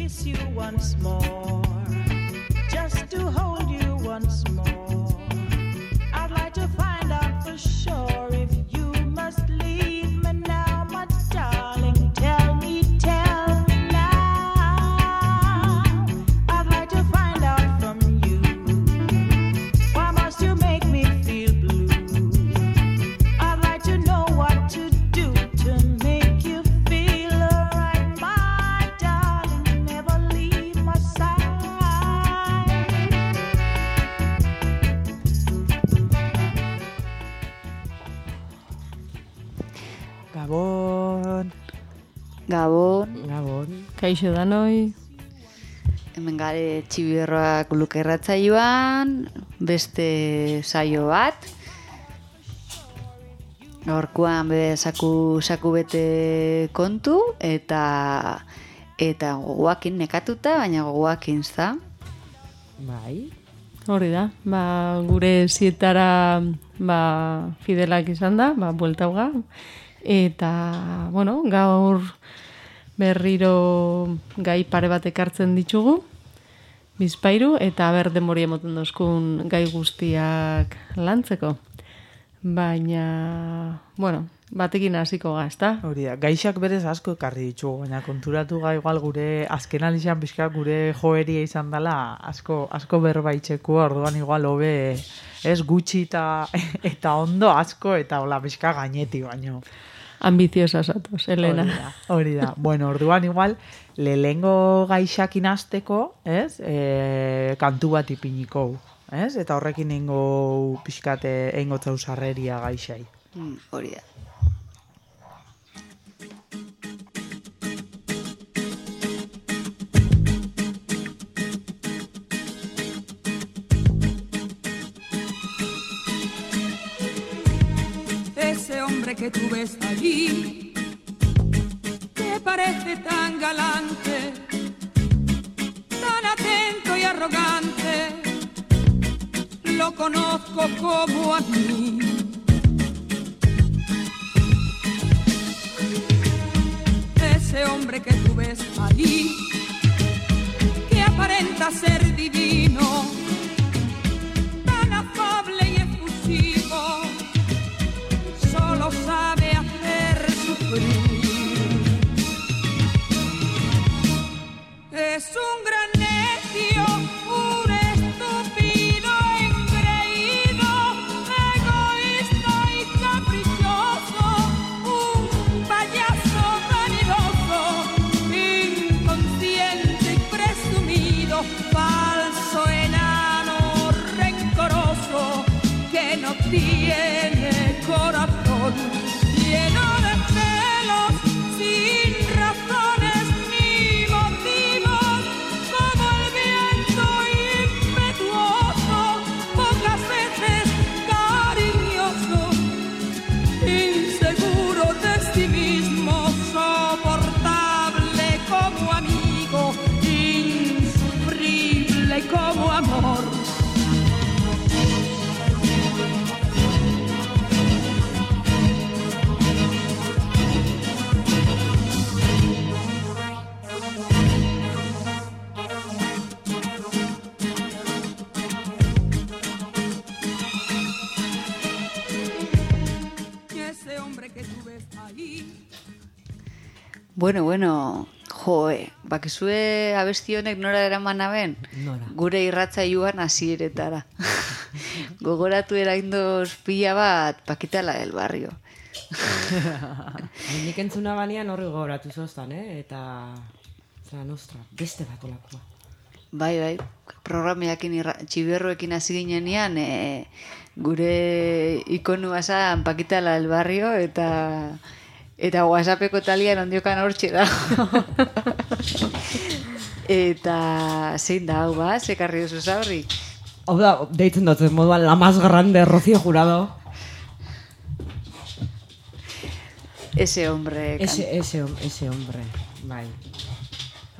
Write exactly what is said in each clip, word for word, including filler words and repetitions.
kiss you once more, just to hold you once more. I'd like to find out for sure if you must leave me now, my darling. Tell me, tell me now. I'd like to find out from you, why must you make me feel blue? I'd like to know what to do to make you feel alright, my darling. Never leave my side. Gabon. Gabon, Gabon. Kaixo danoi. hemen gare txibierroak lukerratzaioan, beste saio bat. Gaurkoan be saku, saku bete kontu eta eta gogoakin nekatuta, baina gogoakin za. Bai. Hori da, ba, gure zietara ba, fidelak izan da, ba, bueltauga. Eta, bueno, gaur berriro gai pare bat ekartzen ditugu, bizpairu, eta ber denbori emoten dozkun gai guztiak lantzeko. Baina, bueno, batekin hasiko ga, ezta? Hori da, gaixak berez asko ekarri ditugu, baina konturatu ga igual gure azken alizan pixka gure joeria izan dela asko, asko berbaitzeko, orduan igual hobe ez gutxi eta, eta ondo asko eta hola pixka gaineti baino. Ambiziosa zatoz, Elena. Hori da, hori da. Bueno, orduan igual lehengo gaixakin hasteko, ez? E, kantu bat ipiniko, ez? Eta horrekin eingo pixkate eingo zausarreria gaixai. Mm, hori da. Ese hombre que tú ves allí, que parece tan galante, tan atento y arrogante, lo conozco como a mí. Ese hombre que tú ves allí, que aparenta ser divino, tan afable y efusivo, solo sabe hacer sufrir. Es un gran necio, un estúpido engreído, egoísta y caprichoso, un payaso vanidoso, inconsciente y presumido, falso, enano, rencoroso, que no tiene corazón, lleno de celos, sin razones ni motivos, como el viento impetuoso, pocas veces cariñoso, inseguro de sí mismo, soportable como amigo, insufrible como amor. Bueno, bueno, joe, bakizue abesti honek nora eraman aben? Nora. Gure irratzailuan hasieretara. Gogoratu eraindoz pila bat Pakitala del Barrio. Nik entzuna banean horri gogoratu zoztan, eh? Eta, zera nostra, beste bat olakoa. Bai, bai, programeakin irra, txiberroekin hasi ginenean, e, gure ikonua zan Pakitala del Barrio, eta... Eta WhatsAppeko talian ondiokan hortxe da. Eta zein da, hau ba, zekarri duzu zaurri? Hau da, deitzen dut, moduan la más grande Rocío Jurado. Ese hombre. Ese, ese, ese hombre, bai.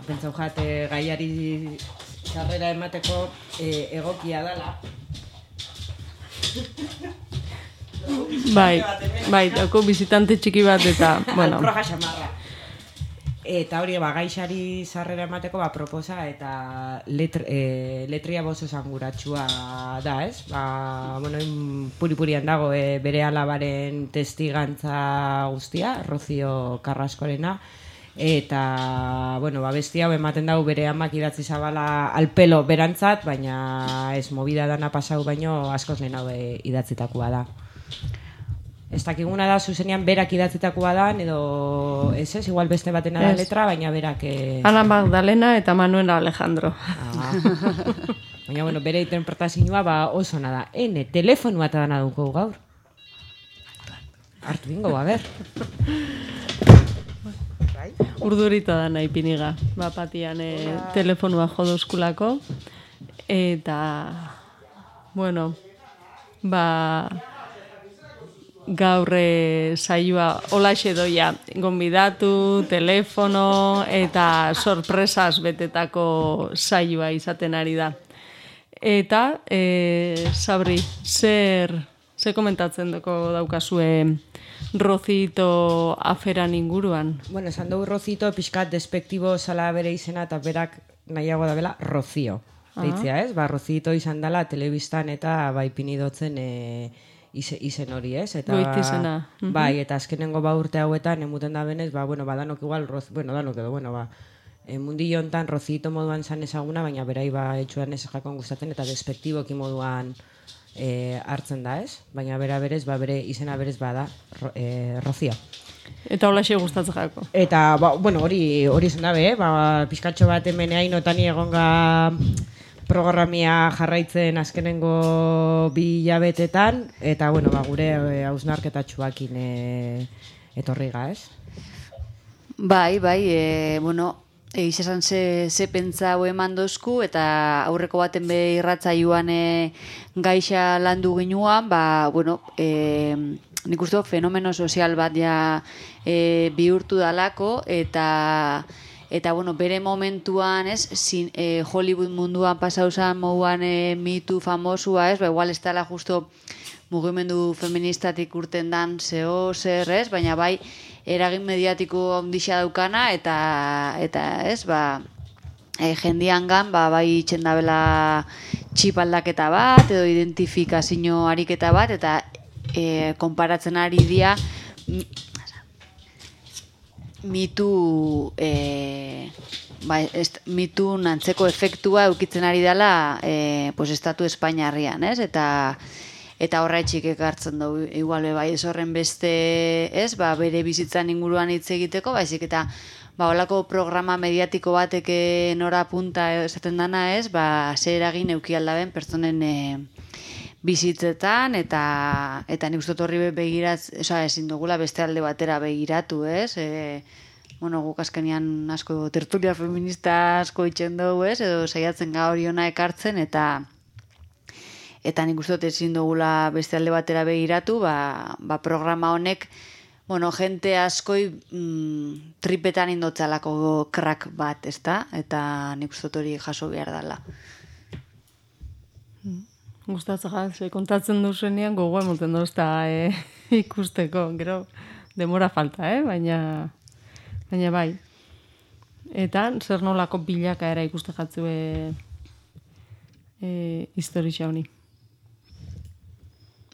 Pentsau jate gaiari sarrera emateko e, egokia dala. Bai, bai, dauko bizitante txiki bat eta, bueno. Alproja xamarra. Eta hori, ba, gaixari sarrera emateko, ba, proposa eta letr, e, letria bozo esanguratsua da, ez? Ba, bueno, puri-purian dago e, bere alabaren testigantza guztia, Rocío Carrascorena, eta, bueno, ba, besti hau ematen dago bere amak idatzi zabala alpelo berantzat, baina ez movida dana pasau baino askoz lehen hau idatzitakoa da. Ez dakiguna da, zuzenean berak idatzitakoa da, edo ez ez, igual beste batena da letra, baina berak... Eh... Ana Magdalena eta Manuel Alejandro. Ah. Baina, bueno, bere interpretazioa ba, oso nada. Ene, telefonua eta dana duko gaur. Artu bingo, a ber. Urdurita da nahi piniga. Ba, patian eh, telefonua jodoskulako. Eta, bueno, ba... gaur e, saioa olaxe doia, gonbidatu, telefono eta sorpresas betetako saioa izaten ari da. Eta, e, Sabri, zer, zer komentatzen duko daukazue Rocito aferan inguruan? Bueno, esan dugu Rocito pixkat despektibo zala bere izena eta berak nahiago da bela Rocio. Deitzea, ez? Ba, Rocito izan dela telebistan eta bai pinidotzen e, Ize, izen hori, ez? Eta, goitizena. Bai, eta azkenengo ba urte hauetan, emuten da benez, ba, bueno, ba, danok igual, roz, bueno, danok edo, bueno, ba, e, mundillo hontan Rocito moduan zan ezaguna, baina berai ba, etxuan ez jakon gustatzen, eta despektiboki moduan e, hartzen da, ez? Baina bera berez, ba, bere izena berez bada, ro, e, Rocio. Eta holaxe gustatzen jako. Eta, ba, bueno, hori hori izan dabe, eh? Ba, pizkatxo bat hemen hainotani egonga programia jarraitzen azkenengo bi hilabetetan, eta, bueno, ba, gure e, hausnarketatxuakin e, etorriga, ez? Bai, bai, e, bueno, egiz esan ze, ze pentsa hau eman dozku, eta aurreko baten be irratzaioan e, gaixa landu ginuan, ba, bueno, e, nik uste fenomeno sozial bat ja e, bihurtu dalako, eta... Eta, bueno, bere momentuan, ez, zin, e, Hollywood munduan pasauzan moduan e, mitu famosua, ez, ba, igual ez dela justo mugimendu feministatik urten dan zeo zer, ez, baina bai, eragin mediatiko ondixa daukana, eta, eta ez, ba, e, jendiangan, ba, bai itxendabela txip aldaketa bat, edo identifikazio ariketa bat, eta e, konparatzen ari dia, mitu e, ba, est, mitu nantzeko efektua eukitzen ari dela e, pues, estatu Espainiarrian, ez? Eta eta horraitxik ekartzen dugu igual bai ez horren beste, ez? Ba, bere bizitzan inguruan hitz egiteko, baizik eta ba, holako programa mediatiko batek nora punta esaten dana, ez? Ba, zer eragin euki aldaben pertsonen e, bizitzetan, eta eta nik uste horri begiratz, oza, ezin dugula beste alde batera begiratu, ez? E, bueno, guk azkenean asko tertulia feminista asko itxen dugu, ez? Edo saiatzen ga hori ona ekartzen, eta eta nik uste ezin dugula beste alde batera begiratu, ba, ba programa honek, bueno, jente askoi mm, tripetan indotzalako krak bat, ezta? Eta nik uste hori jaso behar dela. Gustatzen jaz, kontatzen duzuenean gogoa emoten dozta e, ikusteko, gero demora falta, eh? baina, baina bai. Eta zer nolako bilaka era ikuste jatzu e, e, historia honi?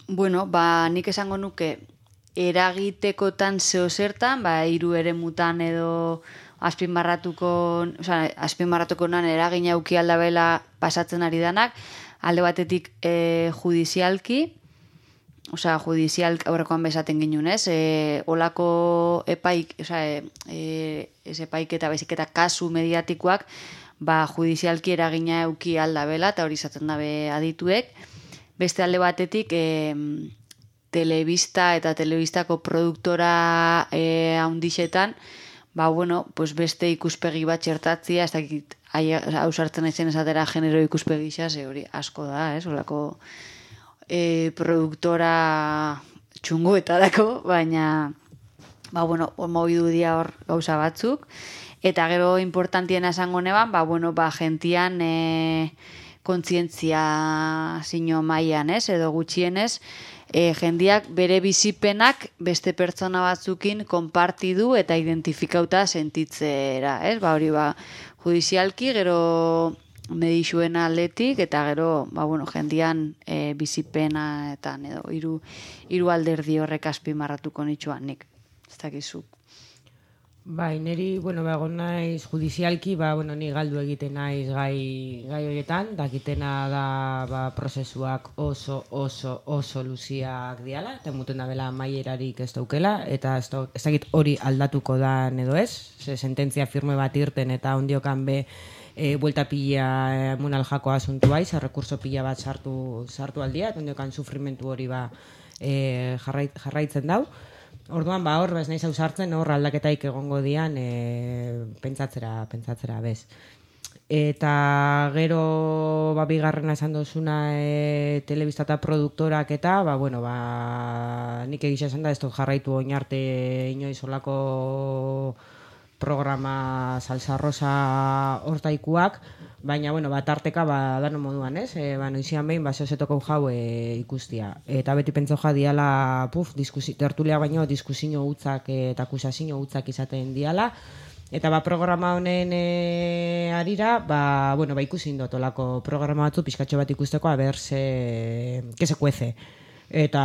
Bueno, ba, nik esango nuke eragitekotan zeo zertan, ba, hiru eremutan edo azpimarratuko, oza, azpimarratuko nan eragina auki aldabela pasatzen ari danak, alde batetik e, judizialki, osea, judizial aurrekoan bezaten ginen, ez? E, olako epaik, osea, e, ez epaik eta bezik eta kasu mediatikoak, ba, judizialki eragina euki aldabela, eta hori izaten dabe adituek. Beste alde batetik, e, telebista eta telebistako produktora e, haundixetan, ba, bueno, pues beste ikuspegi bat txertatzia, ez dakit, hau sartzen aizen esatera genero ikuspegi xa, ze hori asko da, ez, olako e, produktora txungoetarako, baina, ba, bueno, mobidu dia hor gauza batzuk, eta gero importantiena esango neban, ba, bueno, ba, gentian, e, kontzientzia zino mailan, ez? Edo gutxienez, e, jendiak bere bizipenak beste pertsona batzukin konpartidu eta identifikauta sentitzera, ez? Ba, hori ba, judizialki, gero medixuen aldetik, eta gero, ba, bueno, jendian e, bizipenaetan, edo hiru hiru alderdi horrek azpimarratuko nitxuan nik. Ez dakizu. Bai, niri, bueno, ba, egon naiz judizialki, ba, bueno, ni galdu egiten naiz gai, gai horietan, dakitena da, ba, prozesuak oso, oso, oso luziak diala, eta muten da bela maierarik ez daukela, eta ez, da, ez dakit hori aldatuko da edo ez, ze sententzia firme bat irten, eta ondiokan be, e, buelta pila munal jako asuntu baiz, rekurso pila bat sartu, sartu aldia, eta ondiokan sufrimentu hori ba, e, jarrait, jarraitzen dau. Orduan, ba, hor, bez nahi zau sartzen, hor aldaketaik egongo dian, e, pentsatzera, pentsatzera, bez. Eta gero, ba, bigarrena esan dozuna e, telebista eta produktorak eta, ba, bueno, ba, nik egisa esan da, ez dut jarraitu oin arte inoiz olako programa salsa rosa hortaikuak, baina, bueno, ba, tarteka, ba, dano moduan, ez? E, ba, noizian behin, ba, zeozetoko jau e, ikustia. Eta beti pentso ja diala, puf, diskusi, tertulia baino, diskusio hutzak eta akusazio hutzak izaten diala. Eta, ba, programa honen e, arira, ba, bueno, ba, ikusi indot olako programa batzu, pizkatxo bat ikusteko, a ber, se, que se cuece. Eta,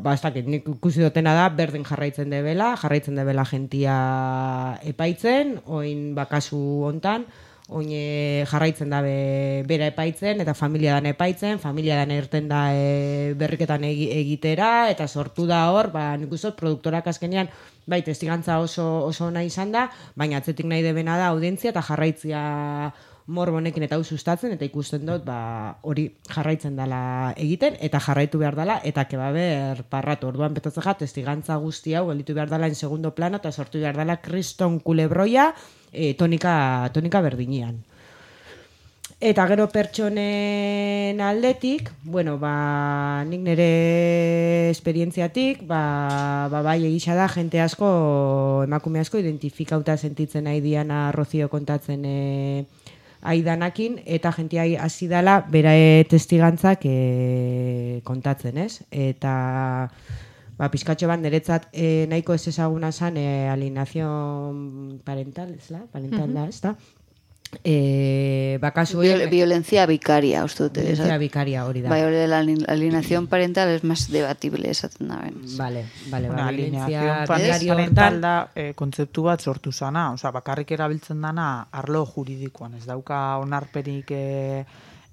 ba, ez dakit, nik ikusi dutena da, berdin jarraitzen debela, jarraitzen debela gentia epaitzen, oin bakasu hontan, oin e, jarraitzen da be, bera epaitzen, eta familia dan epaitzen, familia dan irten da e, berriketan egi, egitera, eta sortu da hor, ba, nik uste dut, produktorak azkenean, bai, testigantza oso, oso nahi izan da, baina atzetik nahi debena da audientzia eta jarraitzia morbonekin eta hau sustatzen, eta ikusten dut, ba, hori jarraitzen dela egiten, eta jarraitu behar dela, eta keba ber parratu. Orduan betatzen ja, testigantza guzti hau, gelditu behar dela en segundo plano, eta sortu behar dela kriston kulebroia, e, tonika, tonika berdinian. Eta gero pertsonen aldetik, bueno, ba, nik nire esperientziatik, ba, ba, bai egisa da, jente asko, emakume asko, identifikauta sentitzen nahi diana Rocío kontatzen e, aidanakin, eta jentia hasi dela berae testigantzak e, kontatzen, ez? Eta ba, pizkatxo bat niretzat e, nahiko ez ezaguna zan e, alienación parental, ez la? Parental uh-huh. da, ez da? E, bakasu Viol, violencia vicaria, uste dute. Violencia vicaria hori da. Bai, hori de la alienación parental es más debatible esaten da ben. Vale, vale, bueno, ba, alienación parental da e, kontzeptu bat sortu zana, osea, bakarrik erabiltzen dana arlo juridikoan, ez dauka onarperik e,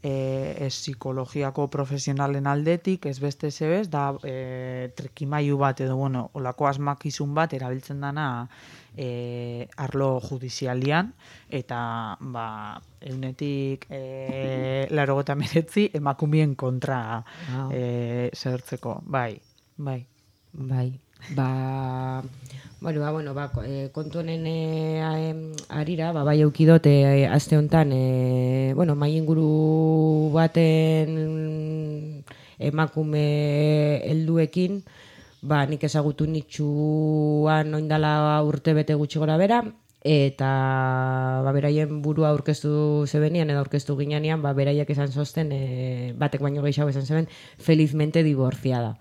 e, ez psikologiako profesionalen aldetik, ez beste zebez, da e, trikimailu bat edo, bueno, olako asmakizun bat erabiltzen dana E, arlo judizialian, eta ba, eunetik e, larogota meretzi emakumien kontra oh. e, zertzeko. Bai, bai. Bai, ba, bueno, ba, bueno, ba, kontu honen e, arira, ba, bai eukidot, e, aste honetan, e, bueno, mai inguru baten emakume helduekin, ba, nik ezagutu nitxuan oindala urte bete gutxi gora bera, eta ba, beraien burua aurkeztu zebenian, edo aurkeztu ginean, ba, beraiek esan zosten, e, batek baino gehiago esan zeben, felizmente divorciada.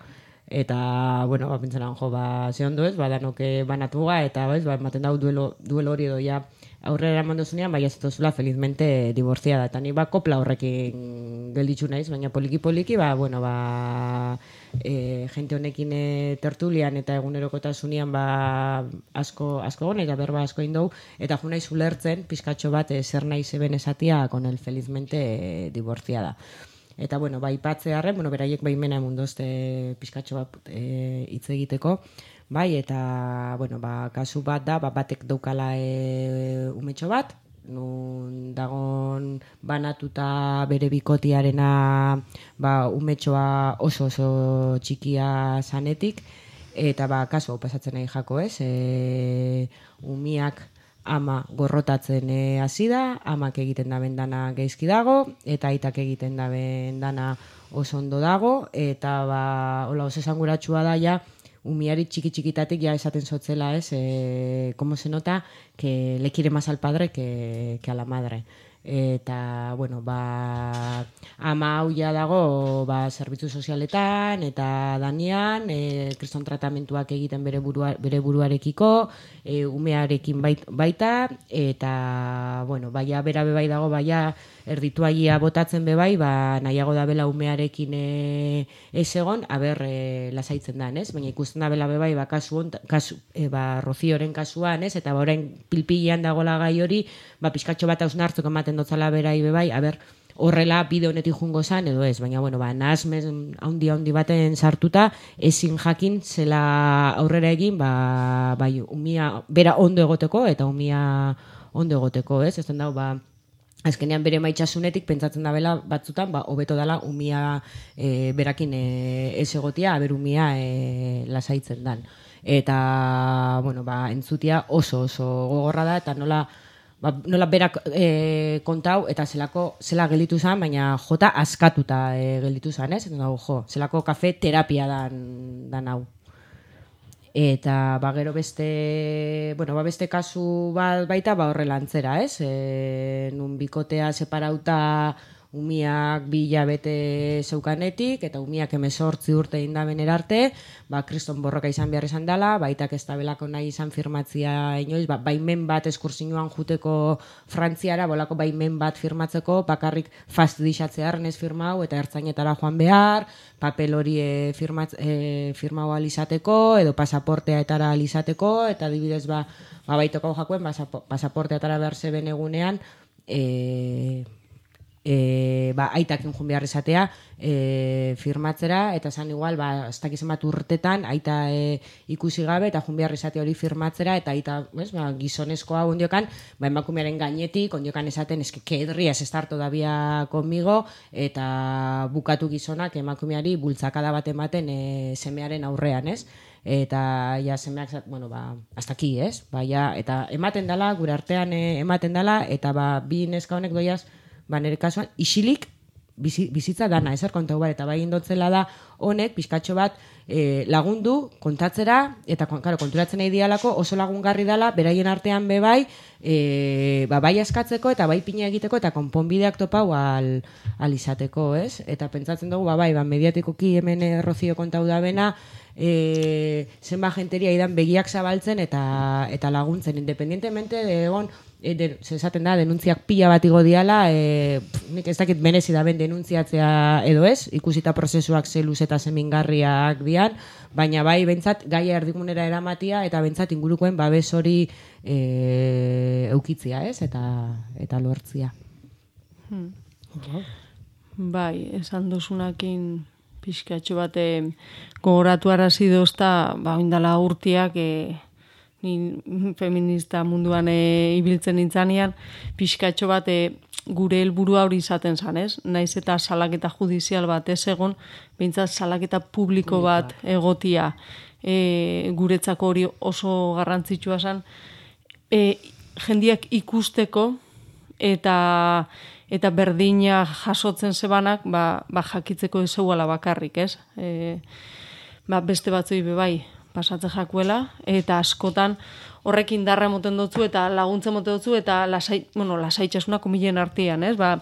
Eta, bueno, ba, pentsan jo, ba, ze ondo ez, ba, danoke banatuga, eta, ba, ez, ba, ematen dau duelo, duelo hori edo, ja, aurrera eman dozunean, bai, ez duzula felizmente divorciada. Eta ni, ba, kopla horrekin gelditzu naiz, baina poliki-poliki, ba, bueno, ba, e, gente honekin e, tertulian eta egunerokotasunean, ba, asko, asko gona, eta berba asko indou, eta jo naiz ulertzen, pizkatxo bat, e, zer nahi zeben esatia, con el felizmente e, divorciada. Eta, bueno, bai, patzearen, bueno, beraiek baimena emundozte pizkatxo bat e, hitz egiteko, bai, eta, bueno, ba, kasu bat da, ba, batek daukala e, umetxo bat, nun dagon banatuta bere bikotiarena, ba, umetxoa oso oso txikia zanetik, eta, ba, kasu hau pasatzen nahi jako, ez, e, umiak ama gorrotatzen hasi da, amak egiten da bendana geizki dago, eta aitak egiten da bendana oso ondo dago, eta, ba, hola, oso esanguratsua da, ja, umiari txiki-txikitatik ja esaten zotzela, ez, e, como se nota que le quiere más al padre que, que a la madre. eta, bueno, ba, ama hauia dago, ba, zerbitzu sozialetan, eta danean, e, kriston tratamentuak egiten bere, burua, bere buruarekiko, e, umearekin bait, baita, eta, bueno, baia, bera bebai dago, baia, erdituaia botatzen bebai, ba, nahiago da bela umearekin e, ez egon, aber, e, lasaitzen da, ez? Baina ikusten da bela bebai, ba, kasu, on, kasu e, ba, Rozioren kasuan, ez? Eta ba, orain pilpilean dagoela gai hori, ba, pizkatxo bat hausnartzuk ematen dotzala berai bebai, aber, horrela bide honetik jungo zan, edo ez, baina, bueno, ba, nahazmen haundi haundi baten sartuta, ezin jakin zela aurrera egin, ba, bai, umia, bera ondo egoteko, eta umia ondo egoteko, ez? Ez den dago, ba, azkenean bere maitxasunetik pentsatzen da bela batzutan, ba, hobeto dala umia e, berakin e, ez egotia, aber umia e, lasaitzen dan. Eta, bueno, ba, entzutia oso oso gogorra da, eta nola, ba, nola berak e, kontau, eta zelako, zela gelditu zan, baina jota askatuta e, gelditu zan, ez? Eta dago, jo, zelako kafe terapia dan, dan hau. Eta ba, gero beste, bueno, ba, beste kasu bat baita ba, horrela antzera, ez? E, nun bikotea separauta umiak bi hilabete zeukanetik, eta umiak hemezortzi urte indaben erarte, ba, kriston borroka izan behar izan dela, baitak ez tabelako nahi izan firmatzia inoiz, ba, baimen bat eskursinuan juteko Frantziara, bolako baimen bat firmatzeko, bakarrik fastidixatzearen ez firmau, eta ertzainetara joan behar, papel hori e, firmatz, e, firmau alizateko, edo pasaportea etara alizateko, eta adibidez ba, ba baitoko jakuen, pasaportea etara behar zeben egunean, e, E, ba, aitakin jun behar izatea e, firmatzera, eta zan igual ba, ez dakizen bat urtetan aita e, ikusi gabe eta jun behar izatea hori firmatzera, eta aita pues, ba, gizonezkoa ondiokan, ba, emakumearen gainetik ondiokan esaten, eske, que edrias estar todavía conmigo, eta bukatu gizonak emakumeari bultzakada bat ematen e, semearen aurrean, ez? Eta ja semeak, bueno, ba, hasta aquí, ez? Ba, ja, eta ematen dala, gure artean e, ematen dala, eta ba, bi neska honek doiaz, ba, nire kasuan, isilik bizi, bizitza dana, ezer kontau bar, eta bai indotzela da honek, pizkatxo bat e, lagundu, kontatzera, eta claro, konturatzen nahi dialako, oso lagungarri dala, beraien artean be bai, e, ba, bai askatzeko, eta bai pina egiteko, eta konponbideak topau al, al izateko, ez? Eta pentsatzen dugu, ba, bai, ba, mediatikoki hemen Rozio kontau da bena, e, zenba jenteria idan begiak zabaltzen, eta, eta laguntzen, independientemente de egon, E, de, esaten da, denuntziak pila bat igo diala, e, nik ez dakit benezi da ben denuntziatzea edo ez, ikusita prozesuak zeluz eta zemingarriak dian, baina bai, bentsat, gaia erdigunera eramatia, eta bentsat ingurukoen babes hori e, eukitzia, ez, eta, eta lortzia. Hmm. Bai, esan duzunakin pixkatxo bate gogoratu arazi dozta, ba, indala urtiak, e, ni feminista munduan e, ibiltzen nintzanean, pixkatxo bat e, gure helburua hori izaten zan, ez? Naiz eta salaketa judizial bat ez egon, behintzat salaketa publiko bat egotia e, guretzako hori oso garrantzitsua zan, e, jendiak ikusteko eta eta berdina jasotzen zebanak, ba, ba jakitzeko ezeuala bakarrik, ez? E, ba, beste batzui bebai, pasatzen jakuela, eta askotan horrekin darra emoten dutzu, eta laguntzen emoten dutzu, eta lasai, bueno, lasaitxasuna komilen artean, ez? Ba,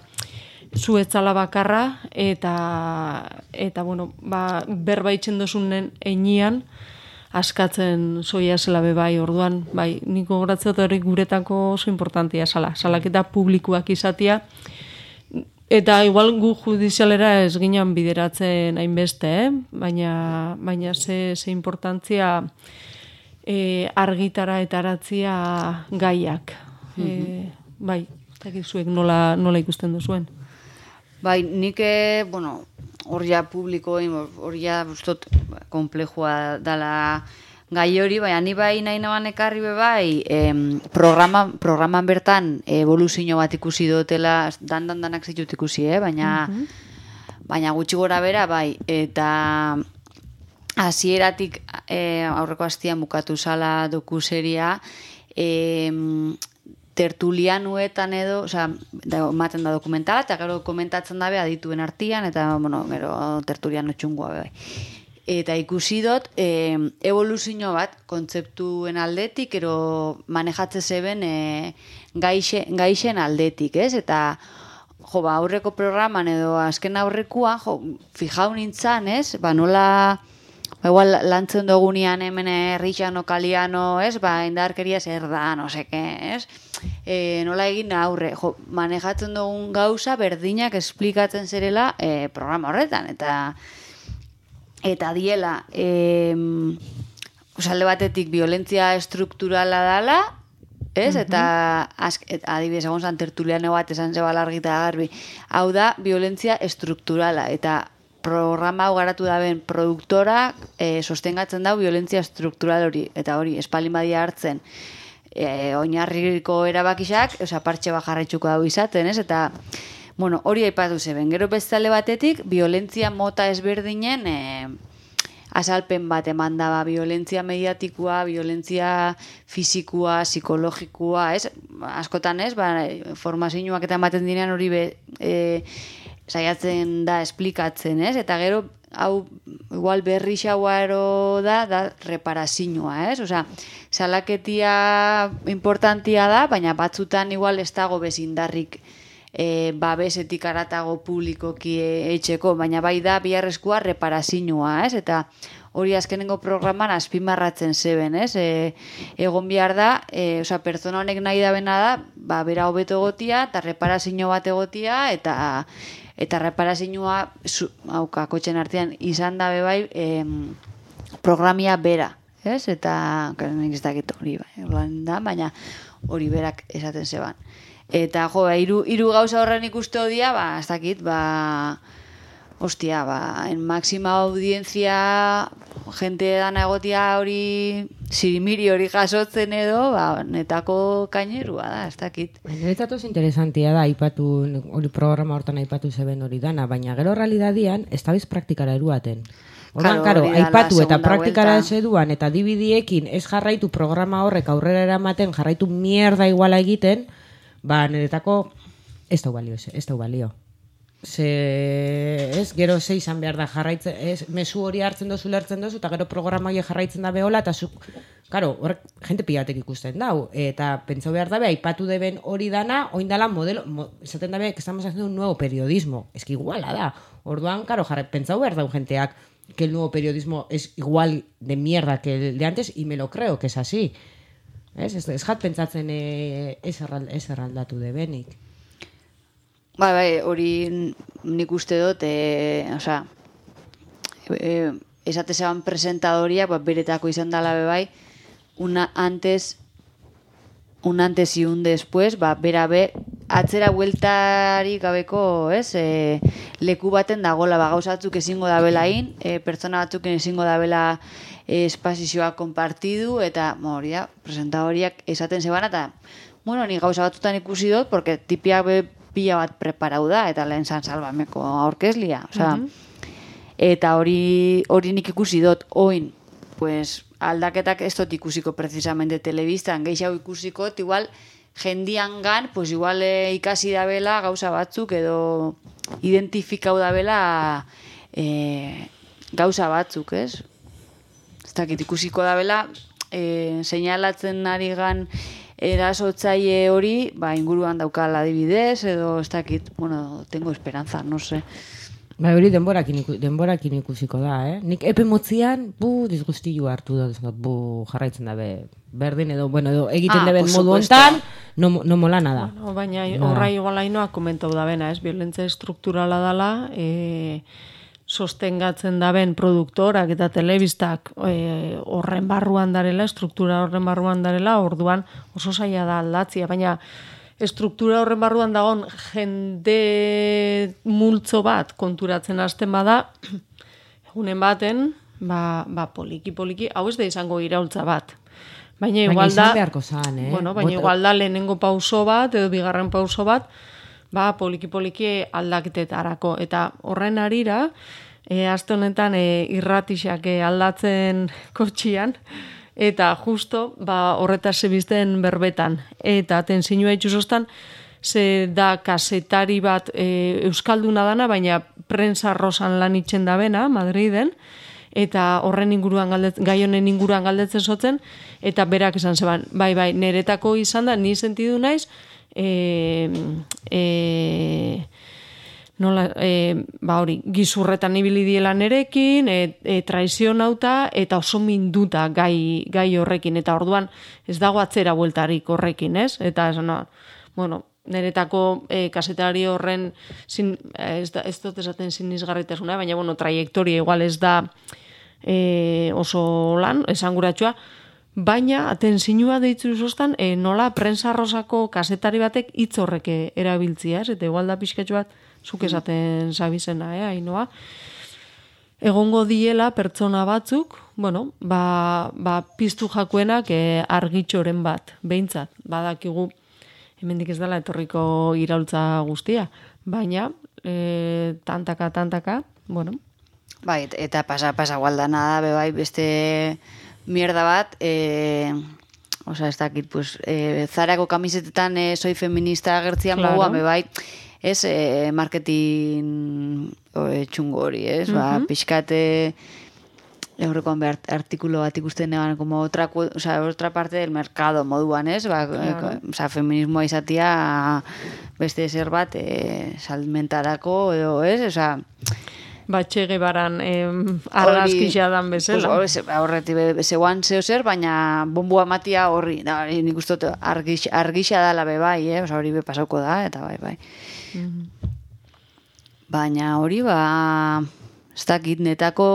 zu etzala bakarra, eta, eta bueno, ba, berbaitzen dozunen einian, askatzen zoia zela bebai, orduan, bai, niko goratzea hori guretako oso importantia zala, salaketa publikoak izatea, eta igual gu judizialera ez ginen bideratzen hainbeste, eh? baina, baina ze, ze importantzia e, argitara eta aratzia gaiak. Mm-hmm. E, bai, eta zuek nola, nola ikusten duzuen? Bai, nik, bueno, hor ja publiko, hor ja ustot komplejua dala gai hori, baina ni bai nahi naban ekarri be bai, em, programa, programan bertan evoluzio bat ikusi dutela, dan-dan danak zitut ikusi, eh? baina, mm-hmm. baina gutxi gora bera bai, eta hasieratik e, aurreko astian bukatu zala dokuseria, em, tertulianuetan edo, osea, ematen da dokumentala, eta gero komentatzen dabe adituen artian, eta, bueno, gero tertuliano txungoa bai. eta ikusi dut e, evoluzio bat kontzeptuen aldetik, ero manejatze zeben e, gaixe, gaixen aldetik, ez? Eta jo, ba, aurreko programan edo azken aurrekoa, jo, fijau nintzan, ez? Ba, nola, ba, igual lantzen dugunean hemen Richano, Kaliano, ez? Ba, indarkeria zer da, no seke, ez? E, nola egin aurre, jo, manejatzen dugun gauza berdinak esplikatzen zerela e, programa horretan, eta eta diela, e, alde batetik violentzia estrukturala dala, ez? Uh-huh. Eta azk, et, adibidez, egon zan tertuliano bat esan zebala argita garbi, hau da, violentzia estrukturala, eta programa hau garatu daben produktora e, sostengatzen dau violentzia estruktural hori, eta hori, espalin badia hartzen, e, oinarriko erabakisak, oza, partxe bajarraitzuko dau izaten, ez? Eta bueno, hori aipatu zeben. Gero bestale batetik, violentzia mota ezberdinen e, azalpen bat eman daba. Violentzia mediatikoa, violentzia fizikoa, psikologikoa, ez? Askotan ez, ba, formazioak eta ematen dinean hori be, e, saiatzen da esplikatzen, ez? Eta gero, hau, igual berri xauaro da, da reparazioa, ez? Osea, salaketia importantia da, baina batzutan igual ez dago bezindarrik E, babesetik aratago publikoki etxeko, baina bai da biharrezkoa reparazioa, ez? Eta hori azkenengo programan azpimarratzen zeben, ez? E, egon behar da, e, oza, pertsona honek nahi da bena da, ba, bera hobeto egotia, eta reparazio bat egotia, eta eta reparazioa, hauka, kotxen artean, izan da bebai e, programia bera, ez? Eta, nik ez dakit hori, bai, da, baina hori berak esaten zeban. Eta, jo, hiru hiru gauza horren ikuste odia, ba, ez dakit, ba, hostia, ba, en máxima audiencia, jente dana egotia hori, sirimiri hori jasotzen edo, ba, netako kainerua da, ez dakit. Niretzat oso interesantia da, aipatu, hori programa hortan aipatu zeben hori dana, baina gero realidadian, ez da biz praktikara eruaten. Orduan, karo, aipatu eta praktikara ez eduan, eta dibidiekin ez jarraitu programa horrek aurrera eramaten, jarraitu mierda iguala egiten, ba, niretako ez da balio, ez da balio. Ze, ez, gero ze izan behar da jarraitzen, ez, mezu hori hartzen dozu, lertzen dozu, eta gero programa hori jarraitzen da behola, eta zuk, karo, horrek, jente pilatek ikusten dau, eta pentsau behar dabe, aipatu deben hori dana, oindala modelo, mo, esaten dabe, que estamos haciendo un nuevo periodismo, ez que iguala da, orduan, karo, jarra, pentsau behar dau jenteak, que el nuevo periodismo es igual de mierda que el de antes, y me lo creo que es así. Ez, ez, ez jat pentsatzen e, ez, errald, ez erraldatu debenik. Bai, bai, hori nik uste dut, e, osea, e, esate zeban presentadoria, ba, beretako izan dala bebai, una antes, un antes y un después, ba, bera be, atzera bueltari gabeko, ez, e, leku baten dagola, ba, gauzatzuk ezingo dabelain, e, pertsona batzuk ezingo dabela espazizioa konpartidu, eta hori da, presentadoriak esaten zeban, eta, bueno, ni gauza batzutan ikusi dut, porque tipiak be pila bat preparau da, eta lehen zan salbameko aurkezlia, osea, uh-huh. Eta hori hori nik ikusi dut, oin, pues, aldaketak ez dut ikusiko precisamente telebistan, geixau ikusiko, igual, jendian gan, pues igual e, ikasi dabela gauza batzuk, edo identifikau dabela e, gauza batzuk, ez? Ez dakit ikusiko dabela, e, seinalatzen ari gan erasotzaile hori, ba, inguruan daukala adibidez, edo ez dakit, bueno, tengo esperanza, no sé. Ba, hori denborakin, iku, denborakin ikusiko da, eh? Nik epe motzian, bu, disgustillo hartu da, bu, jarraitzen dabe, berdin edo, bueno, edo egiten ah, deben modu hontan, no, no mola nada. Bueno, baina horra igual hainoa komentau da bena, ez? Violentzia estrukturala dala, e, sostengatzen daben produktorak eta telebistak e, horren barruan darela, struktura horren barruan darela, orduan oso zaila da aldatzia, baina estruktura horren barruan dagoen jende multzo bat konturatzen hasten bada, egunen baten, ba, ba poliki-poliki, hau ez da izango iraultza bat. Baina igual da, zan, eh? bueno, baina Bota... igual da lehenengo pauso bat, edo bigarren pauso bat, ba poliki-poliki aldaketetarako. Eta horren arira, e, aste honetan e, irratixak e, aldatzen kotxian, eta justo ba, horretaz zebizten berbetan. Eta tensinua itxusostan, ze da kasetari bat e, euskalduna dana, baina prensa rosan lan itxen da bena, Madriden, eta horren inguruan galdetzen, gai honen inguruan galdetzen zotzen, eta berak esan zeban, bai, bai, niretako izan da, ni sentidu naiz, e, e, nola, e, ba hori, gizurretan ibili diela nerekin, e, e, traizionauta, eta oso minduta gai, gai horrekin, eta orduan ez dago atzera bueltarik horrekin, ez? Eta esan, no, bueno, niretako e, kasetari horren, sin, ez, da, ez dut esaten sinizgarritasuna, baina, bueno, traiektoria igual ez da e, oso lan, esanguratsua, baina atenzinua deitzu zoztan, e, nola prensa rosako kasetari batek hitz horrek erabiltzia, ez? Eta igual da pixkatxo bat, zuk esaten zabizena, eh, Ainoa. Egongo diela pertsona batzuk, bueno, ba, ba piztu jakuenak e, argitxoren bat, behintzat, badakigu, hemendik ez dela etorriko iraultza guztia, baina e, tantaka, tantaka, bueno. Bai, eta pasa, pasa gualdana da, be bai, beste mierda bat, e, oza, ez dakit, pues, e, Zarako kamisetetan e, soy feminista agertzian claro. Moguan, be bai, ez, e, marketing e, txungo hori, ez, uh-huh. Ba, pixkate, Eurrekoan behar artikulo bat ikusten eban, como otra, o sea, otra parte del mercado moduan, ez? Ba, claro. O sea, feminismoa izatia beste zer bat e, salmentarako edo, ez? O sea, Batxege baran eh, argazkixa dan bezala. Pues, horreti zeuan zeo zer, baina bombua matia horri, da, nik uste argixa, argixa dala be bai, eh? O sea, hori be pasauko da, eta bai, bai. Mm-hmm. Baina hori, ba, ez dakit, netako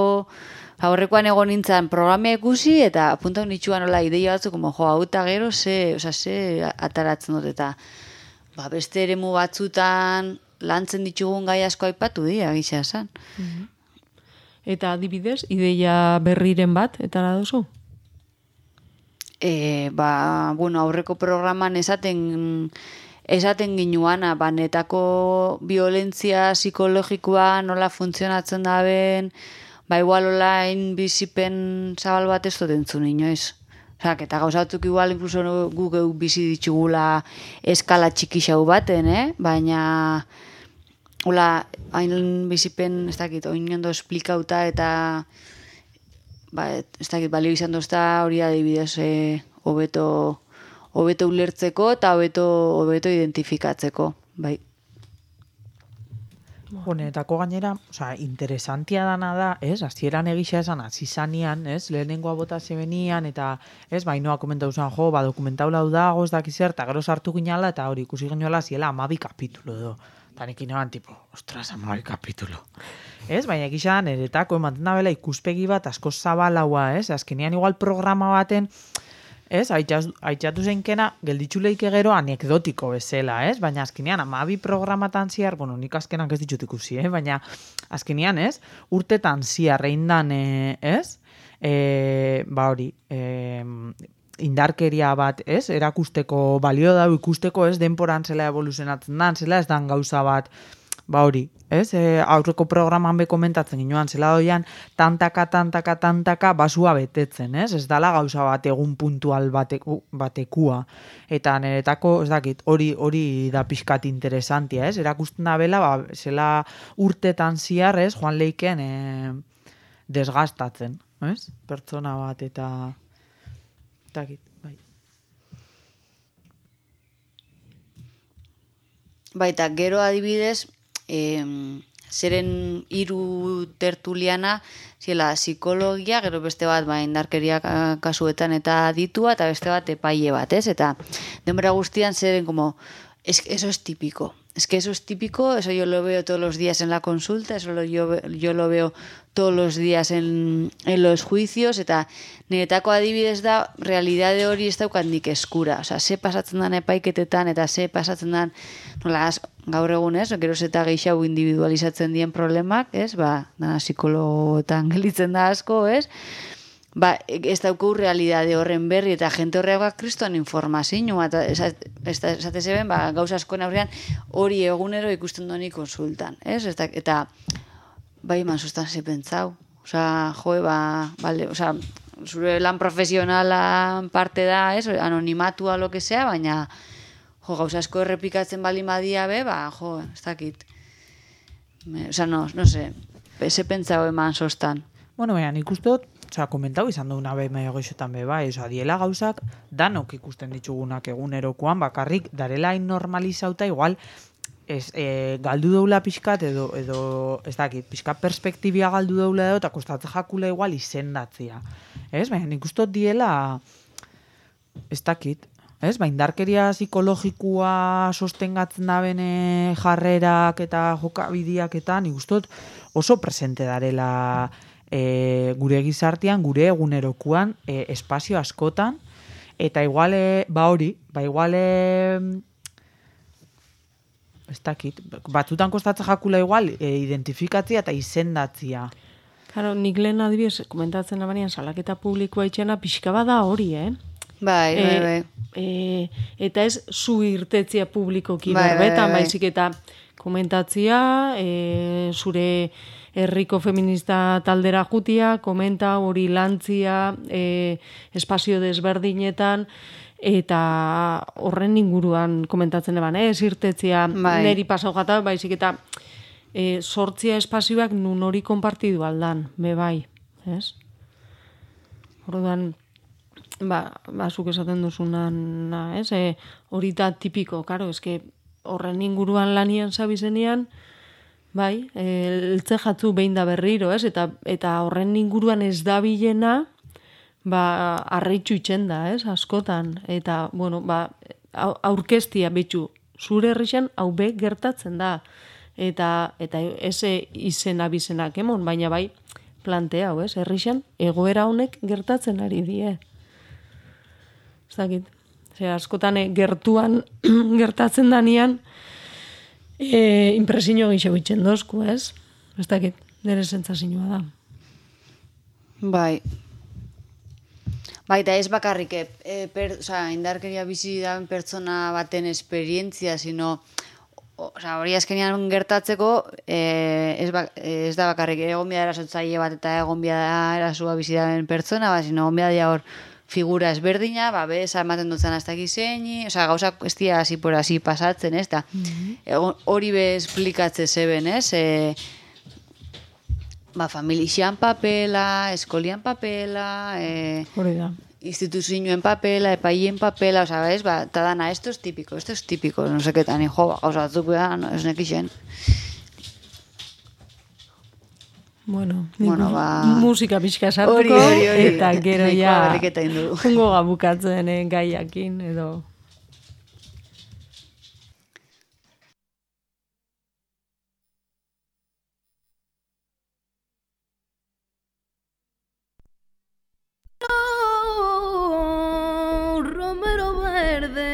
aurrekoan egon nintzen programia ikusi, eta punta honitxuan nola ideia batzu, como, jo, hau eta gero, ze, oza, ze ataratzen dut, eta ba, beste eremu batzutan lantzen ditugun gai asko aipatu dira, gisa esan. Mm-hmm. Eta adibidez, ideia berriren bat, eta da duzu? E, ba, bueno, aurreko programan esaten esaten ginuana, ba, netako violentzia psikologikoa nola funtzionatzen daben, ba, igual olain bizipen zabal bat ez dut entzun inoiz. Osa, eta gauzatuk igual incluso gu geu bizi ditugula eskala txikixau baten, eh? Baina, hola, hain bizipen, ez dakit, oin ondo esplikauta eta, ba, ez dakit, balio izan dozta hori adibidez, eh, hobeto, hobeto ulertzeko eta hobeto, hobeto identifikatzeko, bai. Honetako gainera, osea, interesantia dana da, ez? Hasieran egisa esan hasi zanean, ez? Lehenengoa bota zebenian eta, ez? Bainoa komentatu zen, jo, ba dokumentaula dago, ez dakiz zer, eta gero sartu ginala eta hori ikusi ginola ziela hamabi kapitulo edo. Ta nik ineban tipo, ostras, hamabi kapitulo. Ez? Baina egisa niretako ematen da bela ikuspegi bat asko zabalaua, ez? Azkenean igual programa baten ez, haitxatu zeinkena, gelditzuleik gero anekdotiko bezala, ez? Baina azkenean, amabi programatan ziar, bueno, nik azkenak ez ditut ikusi, eh? Baina azkenean, ez? Urtetan ziar eindan, eh, ez? E, ba hori, e, indarkeria bat, ez? Erakusteko, balio da ikusteko, ez? Denporan zela evoluzionatzen dan, zela ez dan gauza bat, ba hori, ez? E, aurreko programan be komentatzen ginoan, zela doian, tantaka, tantaka, tantaka, basua betetzen, ez? Ez dala gauza bat egun puntual bateku, batekua. Eta niretako, ez dakit, hori hori da pixkat interesantia, ez? Erakusten da bela, ba, zela urtetan ziar, ez? Joan leiken e, desgastatzen, ez? Pertsona bat eta, ez dakit, bai. Baita, gero adibidez, E, zeren hiru tertuliana ziela psikologia, gero beste bat ba, indarkeria kasuetan eta ditua, eta beste bat epaile bat, ez? Eta denbora guztian zeren como, es, eso es típico. Es que eso es típico, eso yo lo veo todos los días en la consulta, eso lo, yo, yo lo veo todos los días en, en los juicios, eta niretako adibidez da, realidade hori ez daukandik eskura. Osea, ze pasatzen dan epaiketetan, eta ze pasatzen dan, nola, gaur egun ez, gero eta gehiago individualizatzen dien problemak, ez, ba, da, psikologoetan gelitzen da asko, ez, ba, ez dauku realidade horren berri, eta jente horreak kristoan informazioa, eta esate zeben, ba, gauza askoen aurrean, hori egunero ikusten doni konsultan, ez, eta, eta bai, man sustan ze pentsau, osea, joe, ba, vale, osea, zure lan profesionala parte da, ez, anonimatua lo que sea, baina, jo, gauza asko errepikatzen bali madia be, ba, jo, ez dakit. Me, osea, no, no sé, ze pentsau eman sostan. Bueno, baina nik uste dut, osea, komentau izan duguna be maio goixotan be bai, osea, diela gauzak danok ikusten ditugunak egunerokoan, bakarrik darela normalizauta igual ez, e, galdu doula pixkat edo, edo ez dakit, pixkat perspektibia galdu doula edo, eta kostatze jakula igual izendatzia. Ez, baina nik uste dut diela, ez dakit, ez, ba, indarkeria psikologikoa sostengatzen da bene jarrerak eta jokabidiak eta nik uste dut oso presente darela e, gure gizartean, gure egunerokuan, e, espazio askotan, eta igual, e, ba hori, ba igual, e, ez dakit, batzutan kostatzen jakula igual, e, identifikatzia eta izendatzia. Claro, nik lehen adibidez, komentatzen abanean salaketa publikoa itxena pixka bada hori, eh? Bai, bai, bai. E, e, eta ez zu irtetzia publikoki Bai, berbetan, bai, bai. baizik eta komentatzia, e, zure herriko feminista taldera jutia, komenta hori lantzia, e, espazio desberdinetan, eta horren inguruan komentatzen eban, ez irtetzia Bai. neri pasau jata, baizik eta e, sortzia espazioak nun hori konpartidu aldan, be bai, ez? Orduan, ba, ba zuk esaten duzunan, na, ez? E, hori da tipiko, karo, eske horren inguruan lanian zabizenean, bai, e, eltze jatzu behin da berriro, ez? Eta, eta horren inguruan ez da bilena, ba, arreitxu itxen da, ez? Askotan. Eta, bueno, ba, au- aurkeztia betxu, zure herrixan hau be gertatzen da. Eta, eta eze izena bizenak emon, baina bai, plantea, hau, ez? Herrixan egoera honek gertatzen ari die. Ez dakit. Zer, askotan eh, gertuan gertatzen danean e, impresio gixo itxen dozku, ez? Ez dakit, nire sentsazioa da. Bai. Bai, eta ez bakarrik, e, per, oza, indarkeria bizi da pertsona baten esperientzia, sino, oza, hori azkenean gertatzeko, e, ez, ba, ez da bakarrik, egon bia erasotzaile bat eta egon bia erasua bizi da pertsona, ba, sino, egon bia dia hor figura ezberdina, ba, bez, ematen dutzen hasta gizeini, oza, gauzak ez dira hasi por hasi pasatzen, ez da. Egon, hori be esplikatze zeben, ez, e, ba, familixian papela, eskolian papela, e, Hori da. instituzioen papela, epaien papela, oza, ez, ba, eta dana, esto es típico, esto es típico, no seketan, jo, ba, gauza batzuk beha, no, ez nekixen. Bueno, nik Bueno, ba- musika pixka sartuko, Hori, hori, hori. eta gero Nahikoa ja berriketa egin dugu. jungo gabukatzen eh, gaiakin, edo... Romero verde.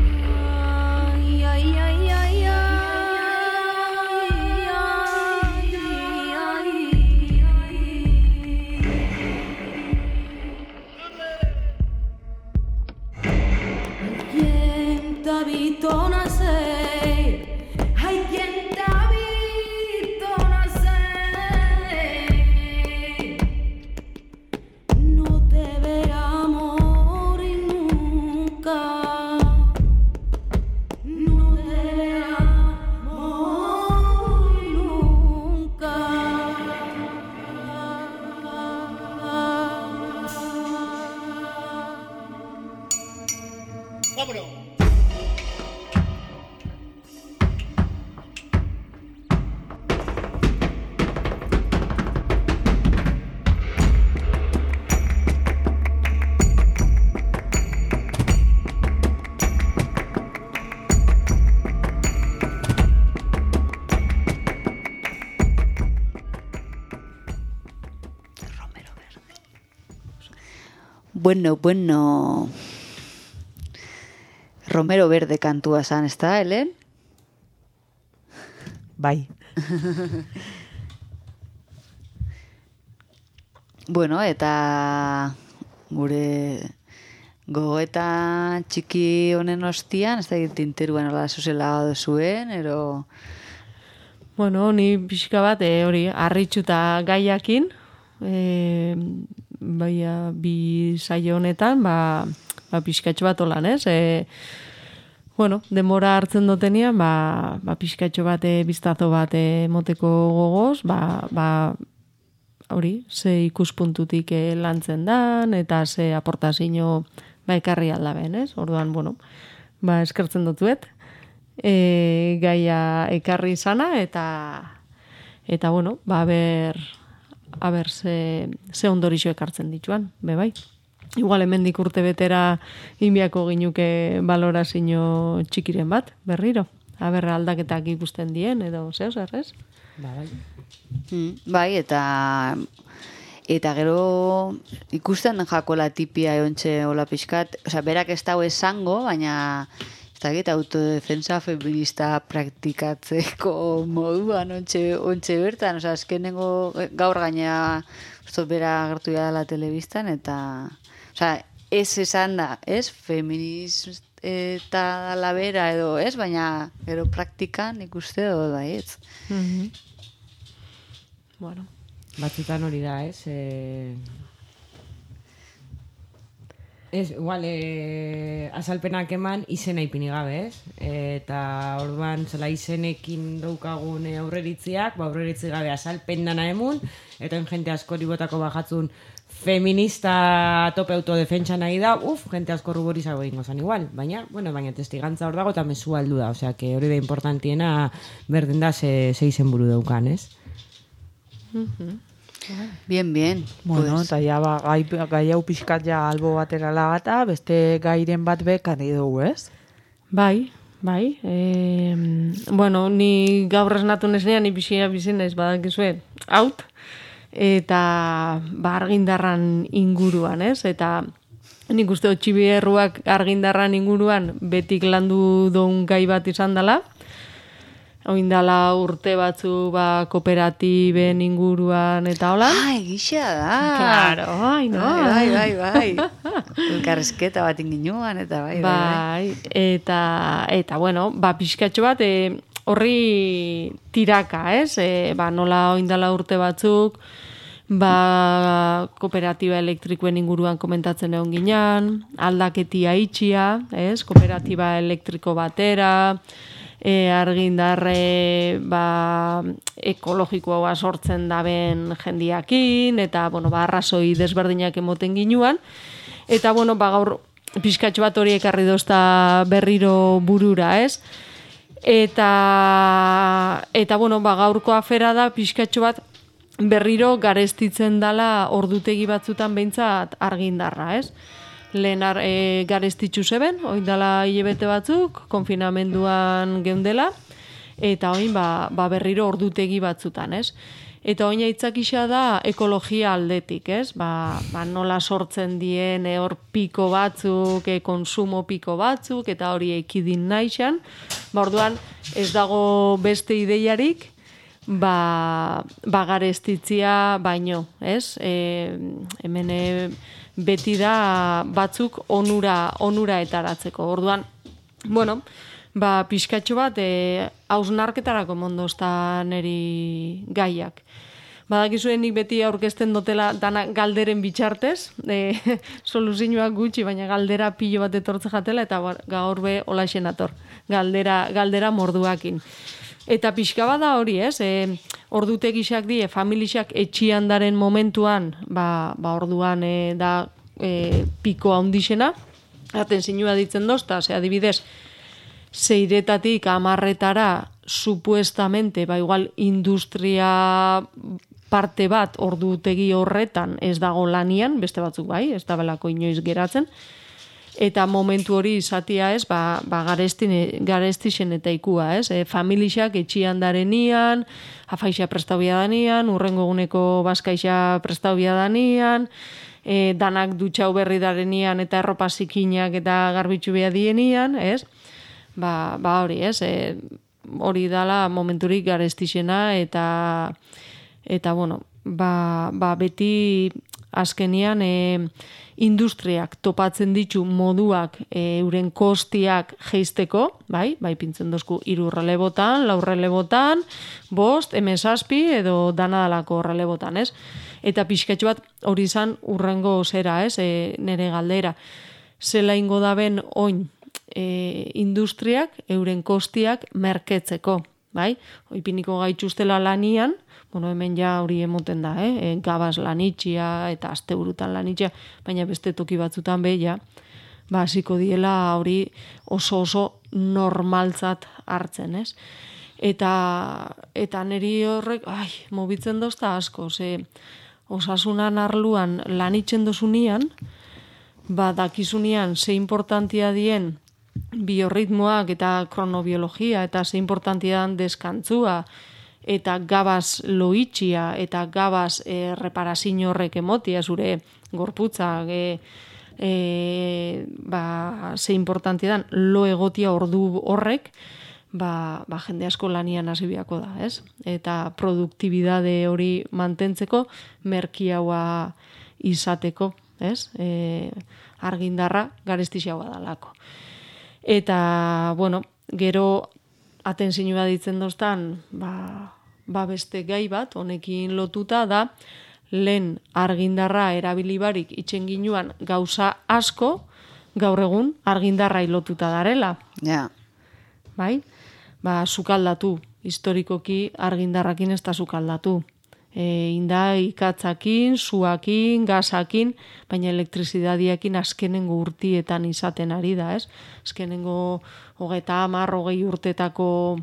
Ay, ay, ay, ay, ay, ay, ay, ay. ¿Quién te ha visto nacer? Ay, ¿quién te ha visto nacer? No te verá morir nunca. No te verá morir nunca. Bueno, bueno. Romero Verde kantua zan, ez da, Helen? Bai. Bueno, eta gure gogoeta txiki honen ostian, ez da tinteruan hola zuzela zuen, ero... Bueno, ni pixka bat, e, hori, harritxuta gaiakin, e, baia, bi saio honetan, ba, ba pixkatxo bat holan, ez? E, bueno, demora hartzen dutenian, ba, ba pixkatxo bat, e, biztazo bat e, moteko gogoz, ba, ba, hori, ze ikuspuntutik e, lantzen dan, eta ze aportazio ba ekarri aldaben, ez? Orduan, bueno, ba eskertzen dutuet, e, gaia ekarri izana, eta, eta bueno, ba, ber, aber ze, ze ondorixo ekartzen dituan, be bai. Igual hemendik urte betera inbiako ginuke balorazio txikiren bat, berriro. Aber aldaketak ikusten dien, edo zeo zer, ez? Ba, bai. Mm, bai, eta eta gero ikusten jakola tipia eontxe hola pixkat, osea, berak ez dago esango, baina ez dakit autodefensa feminista praktikatzeko moduan ontxe, ontxe bertan, osea, azkenengo gaur gaina uste bera agertu dela telebistan, eta osea, ez esan da, ez, feminista eta la bera edo, ez, baina gero praktikan ikuste edo bai, ez. Mm-hmm. Bueno. Batzutan hori da, ez? E... Ez, igual, e... azalpenak eman izena ipini gabe, ez? Eta orduan, zela izenekin daukagun aurreritziak, ba aurreritzi gabe azalpen dana emun, eta jente askori botako bajatzun feminista tope autodefentsa nahi da, uf, jente asko ruborizago egingo zan igual, baina, bueno, baina testigantza hor dago eta mezu aldu da, osea, que hori da importantiena berden da ze, ze izen buru daukan, ez? Mm-hmm. Bien, bien. Bueno, pues. eta ja, ba, gai, gai hau pixkat ja albo batera lagata, beste gairen bat bekan dugu, ez? Bai, bai. E, bueno, ni gaur esnatu nesnean, ni bizia bizin naiz badakizue, haut, eta ba, argindarran inguruan, ez? Eta nik uste Txibierruak argindarran inguruan betik landu duen gai bat izan dela. Oindala urte batzu ba, kooperatiben inguruan eta hola. Ah, egisa da. Claro, ai, no. Bai, bai, bai. bai. Elkarrezketa bat inginuan eta bai, bai, bai. Bai, eta, eta bueno, ba, pixkatxo bat, e, horri tiraka, ez? E, ba, nola oindala urte batzuk, ba, kooperatiba elektrikoen inguruan komentatzen egon ginean, aldaketia itxia, ez? Kooperatiba elektriko batera, e, argindarre ba, ekologikoa sortzen daben jendiakin, eta bueno, ba, arrazoi desberdinak emoten ginuan, eta bueno, ba, gaur pixkatxo bat hori ekarri dozta berriro burura, ez? Eta, eta bueno, ba, gaurko afera da pixkatxo bat berriro garestitzen dala ordutegi batzutan behintzat argindarra, ez? Lehen ar, e, garestitzu zeben, oin dala hilebete batzuk, konfinamenduan geundela, eta oin ba, ba berriro ordutegi batzutan, ez? Eta oin aitzakisa da ekologia aldetik, ez? Ba, ba nola sortzen dien e, hor piko batzuk, e, konsumo piko batzuk, eta hori ekidin naixan. Ba, orduan ez dago beste ideiarik, ba, ba garestitzia baino, ez? E, hemen e, beti da batzuk onura, onura etaratzeko. Orduan, bueno, ba, pixkatxo bat, e, hausnarketarako mondozta neri gaiak. Badakizuen nik beti aurkezten dutela dana galderen bitxartez, e, soluzioak gutxi, baina galdera pilo bat etortze jatela, eta gaur be holaxen ator, galdera, galdera morduakin. Eta pixka bada hori, ez? E, ordutegisak die, familisak etxian daren momentuan, ba, ba orduan e, da e, piko handixena, aten zinua ditzen dozta, ze adibidez, zeiretatik amarretara, supuestamente, ba igual industria parte bat ordutegi horretan ez dago lanian, beste batzuk bai, ez da belako inoiz geratzen, eta momentu hori izatia, ez, ba, ba garestixen eta ikua, ez, e, familixak etxian darenian, afaixa prestaubia danian, urrengo eguneko bazkaixa prestaubia danian, e, danak dutxau berri darenian eta erropa zikinak eta garbitzu behar dienian, ez, ba, ba hori, ez, e, hori dala momenturik garestixena eta, eta bueno, ba, ba beti azkenian e, industriak topatzen ditu moduak e, euren kostiak jeisteko, bai, bai pintzen dozku hiru relebotan, lau relebotan, bost, hemen zazpi edo dana dalako relebotan, ez? Eta pixkatxo bat hori izan urrengo zera, ez? E, nere galdera. Zela ingo daben oin e, industriak euren kostiak merketzeko, bai? Oipiniko gaitxustela lanian, bueno, hemen ja hori emoten da, eh? E, gabaz lanitxia eta asteburutan lanitxia, baina beste toki batzutan beha, ba, hasiko diela hori oso oso normaltzat hartzen, ez? Eta, eta niri horrek, ai, mobitzen dozta asko, ze osasunan arluan lanitzen dozunian, ba, dakizunian ze importantia dien biorritmoak eta kronobiologia eta ze importantia dan deskantzua, eta gabaz loitxia, eta gabaz e, reparazin horrek emotia, zure gorputza, e, e, ba, ze importanti dan, lo egotia ordu horrek, ba, ba jende asko lanian hasi biako da, ez? Eta produktibidade hori mantentzeko, merkiaua izateko, ez? E, argindarra garestixaua dalako. Eta, bueno, gero atenzinua ditzen doztan, ba, ba beste gai bat, honekin lotuta da, lehen argindarra erabilibarik itxen ginuan gauza asko, gaur egun argindarra lotuta darela. Ja. Bai? Ba, sukaldatu, historikoki argindarrakin ez da sukaldatu. E, inda ikatzakin, suakin, gazakin, baina elektrizidadiakin azkenengo urtietan izaten ari da, ez? Azkenengo hogeita hamar, hogei urtetako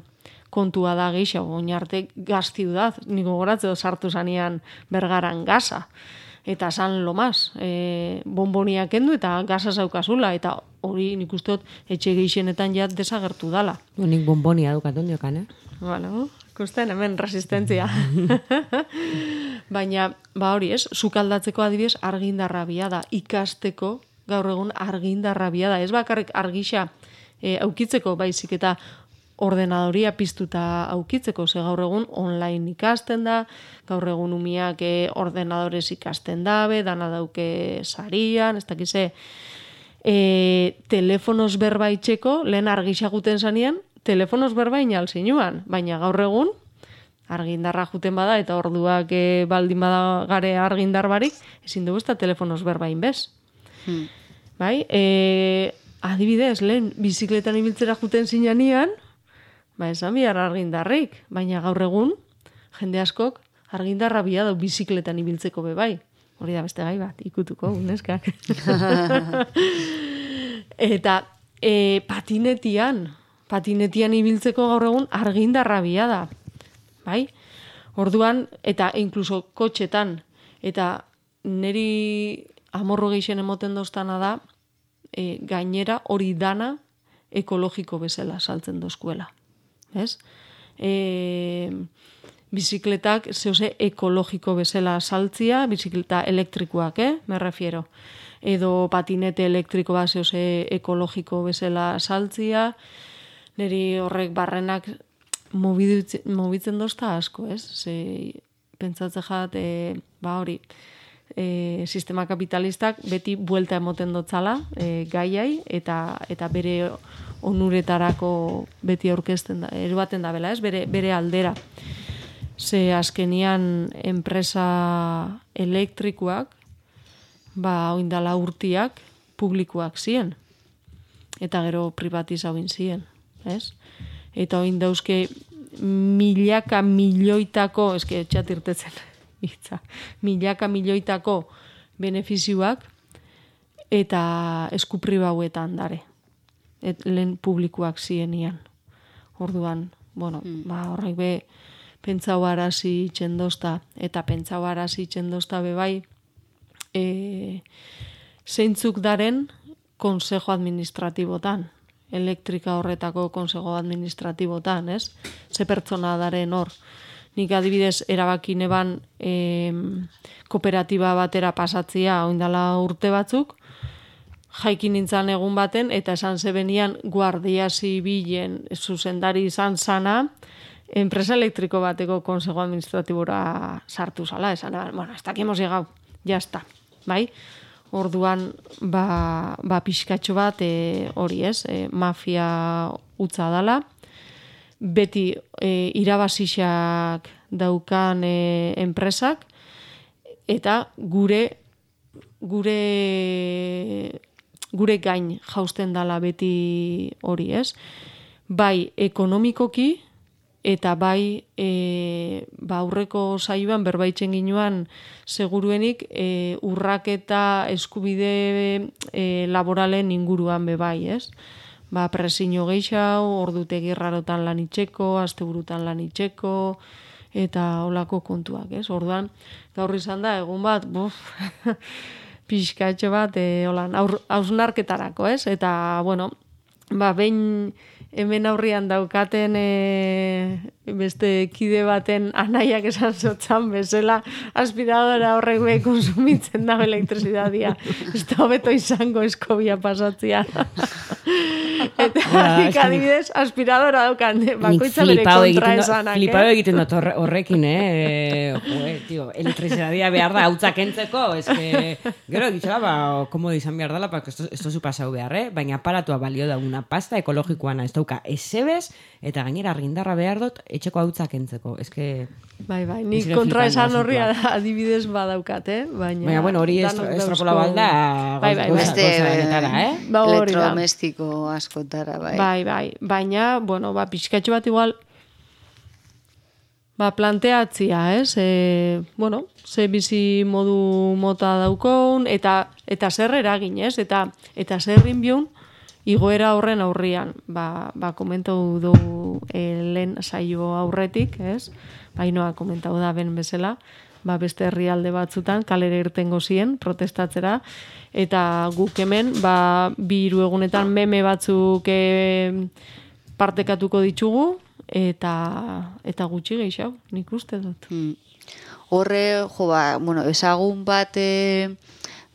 kontua da gehiago, oin arte gaztiu da, niko goratzeo sartu zanean Bergaran gaza. Eta san lo mas, e, bonboniak kendu eta gaza zaukazula, eta hori nik usteot etxe gehienetan jat desagertu dala. Nik bonbonia dukaton diokan, eh? Bueno, ikusten hemen resistentzia. Baina, ba hori ez, sukaldatzeko adibidez argindarra bia da, ikasteko gaur egun argindarra bia da. Ez bakarrik argisa e, aukitzeko baizik eta ordenadoria piztuta aukitzeko, ze gaur egun online ikasten da, gaur egun umiak e, ordenadorez ikasten dabe, dana dauke sarian, ez dakize, e, telefonos berba itxeko, lehen argisa guten zanean, telefonos berba inal zinuan, baina gaur egun argindarra juten bada eta orduak e, baldin bada gare argindar barik, ezin dugu ez da telefonos berba inbez. Hmm. Bai, e, adibidez, lehen bizikletan ibiltzera juten zinean, ba esan bihar argindarrik, baina gaur egun jende askok argindarra bia dau bizikletan ibiltzeko be bai. Hori da beste gai bat, ikutuko, neskak. Eta e, patinetian, patinetian ibiltzeko gaur egun argindarra bia da. Bai? Orduan, eta inkluso kotxetan, eta neri amorro geixen emoten doztana da, e, gainera hori dana ekologiko bezala saltzen dozkuela. Ez? E, bizikletak zehose ekologiko bezala saltzia, bizikleta elektrikoak, eh? Me refiero. Edo patinete elektrikoa zehose ekologiko bezala saltzia, niri horrek barrenak mobitzen dozta asko, ez? Ze, pentsatze jat, e, ba hori, e, sistema kapitalistak beti buelta emoten dotzala e, gaiai, eta, eta bere onuretarako beti aurkezten da, eruaten da bela, ez? Bere, bere aldera. Ze azkenian enpresa elektrikoak, ba, oindala urtiak publikoak ziren. Eta gero privatizauin ziren, ez? Eta oin dauzke milaka milioitako, eske txatirtetzen, itza, milaka milioitako benefizioak eta eskupribauetan dare. Et, lehen publikoak zienian. Orduan, bueno, mm. ba, horrek be, pentsau arazi txendozta, eta pentsau arazi txendozta be bai, e, zeintzuk daren konsejo administratibotan, elektrika horretako konsejo administratibotan, ez? Ze pertsona daren hor. Nik adibidez erabaki neban eh, kooperatiba batera pasatzia oindala urte batzuk, jaikin nintzen egun baten, eta esan zebenian guardia zibilen zuzendari izan sana, enpresa elektriko bateko konsejo administratibora sartu zala, esan, bueno, hasta aquí hemos llegado, ya está, bai? Orduan, ba, ba pixkatxo bat e, hori ez, e, mafia utza dala, beti e, irabazixak daukan e, enpresak, eta gure gure gure gain jausten dala beti hori, ez? Bai ekonomikoki eta bai e, ba aurreko saioan berbaitzen ginuan seguruenik e, urraketa eskubide e, laboralen inguruan be bai, ez? Ba presio gehiago, ordutegi rarotan lan itxeko, asteburutan lan itxeko eta holako kontuak, ez? Orduan gaur izan da egun bat, buf, pixkatxo bat, e, holan, hausnarketarako, ez? Eta, bueno, ba, behin hemen aurrian daukaten e, beste kide baten anaiak esan zotzan bezala, aspiradora horrek be konsumitzen da elektrizidadia. Ez da hobeto izango eskobia pasatzia. Eta nik adibidez, aspiradora daukan, bakoitza bere kontra esanak. Flipado egiten dut horrekin, eh? Joe, tio, elektrizidadia behar da, hautzak entzeko, ez que, gero, egitxoa, ba, komodo izan behar dela, porque esto, esto zu pasau behar, eh? Baina aparatua balio da una pasta ekologikoana, ez dauka esebez, eta gainera argindarra behar dut, etxeko hautzak entzeko, ez que... Bai, bai, nik kontra esan horri adibidez badaukat, eh? Baina, Baina bueno, hori estropola balda, bai, bai, beste eh? Ba, elektrodomestiko askotara, bai. Bai, bai, baina, bueno, ba, pixkatxo bat igual, ba, planteatzia, ez? E, bueno, ze bizi modu mota daukon, eta eta zer eragin, ez? Eta, eta zer inbiun, igoera horren aurrian, ba, ba komentau du e, lehen saio aurretik, ez? Bainoa komentau da ben bezala, ba beste herrialde batzutan kalera irtengo zien protestatzera, eta guk hemen ba bi hiru egunetan meme batzuk e, partekatuko ditugu, eta eta gutxi gehiago, nik uste dut. Hmm. Horre, jo ba, bueno, ezagun bat e,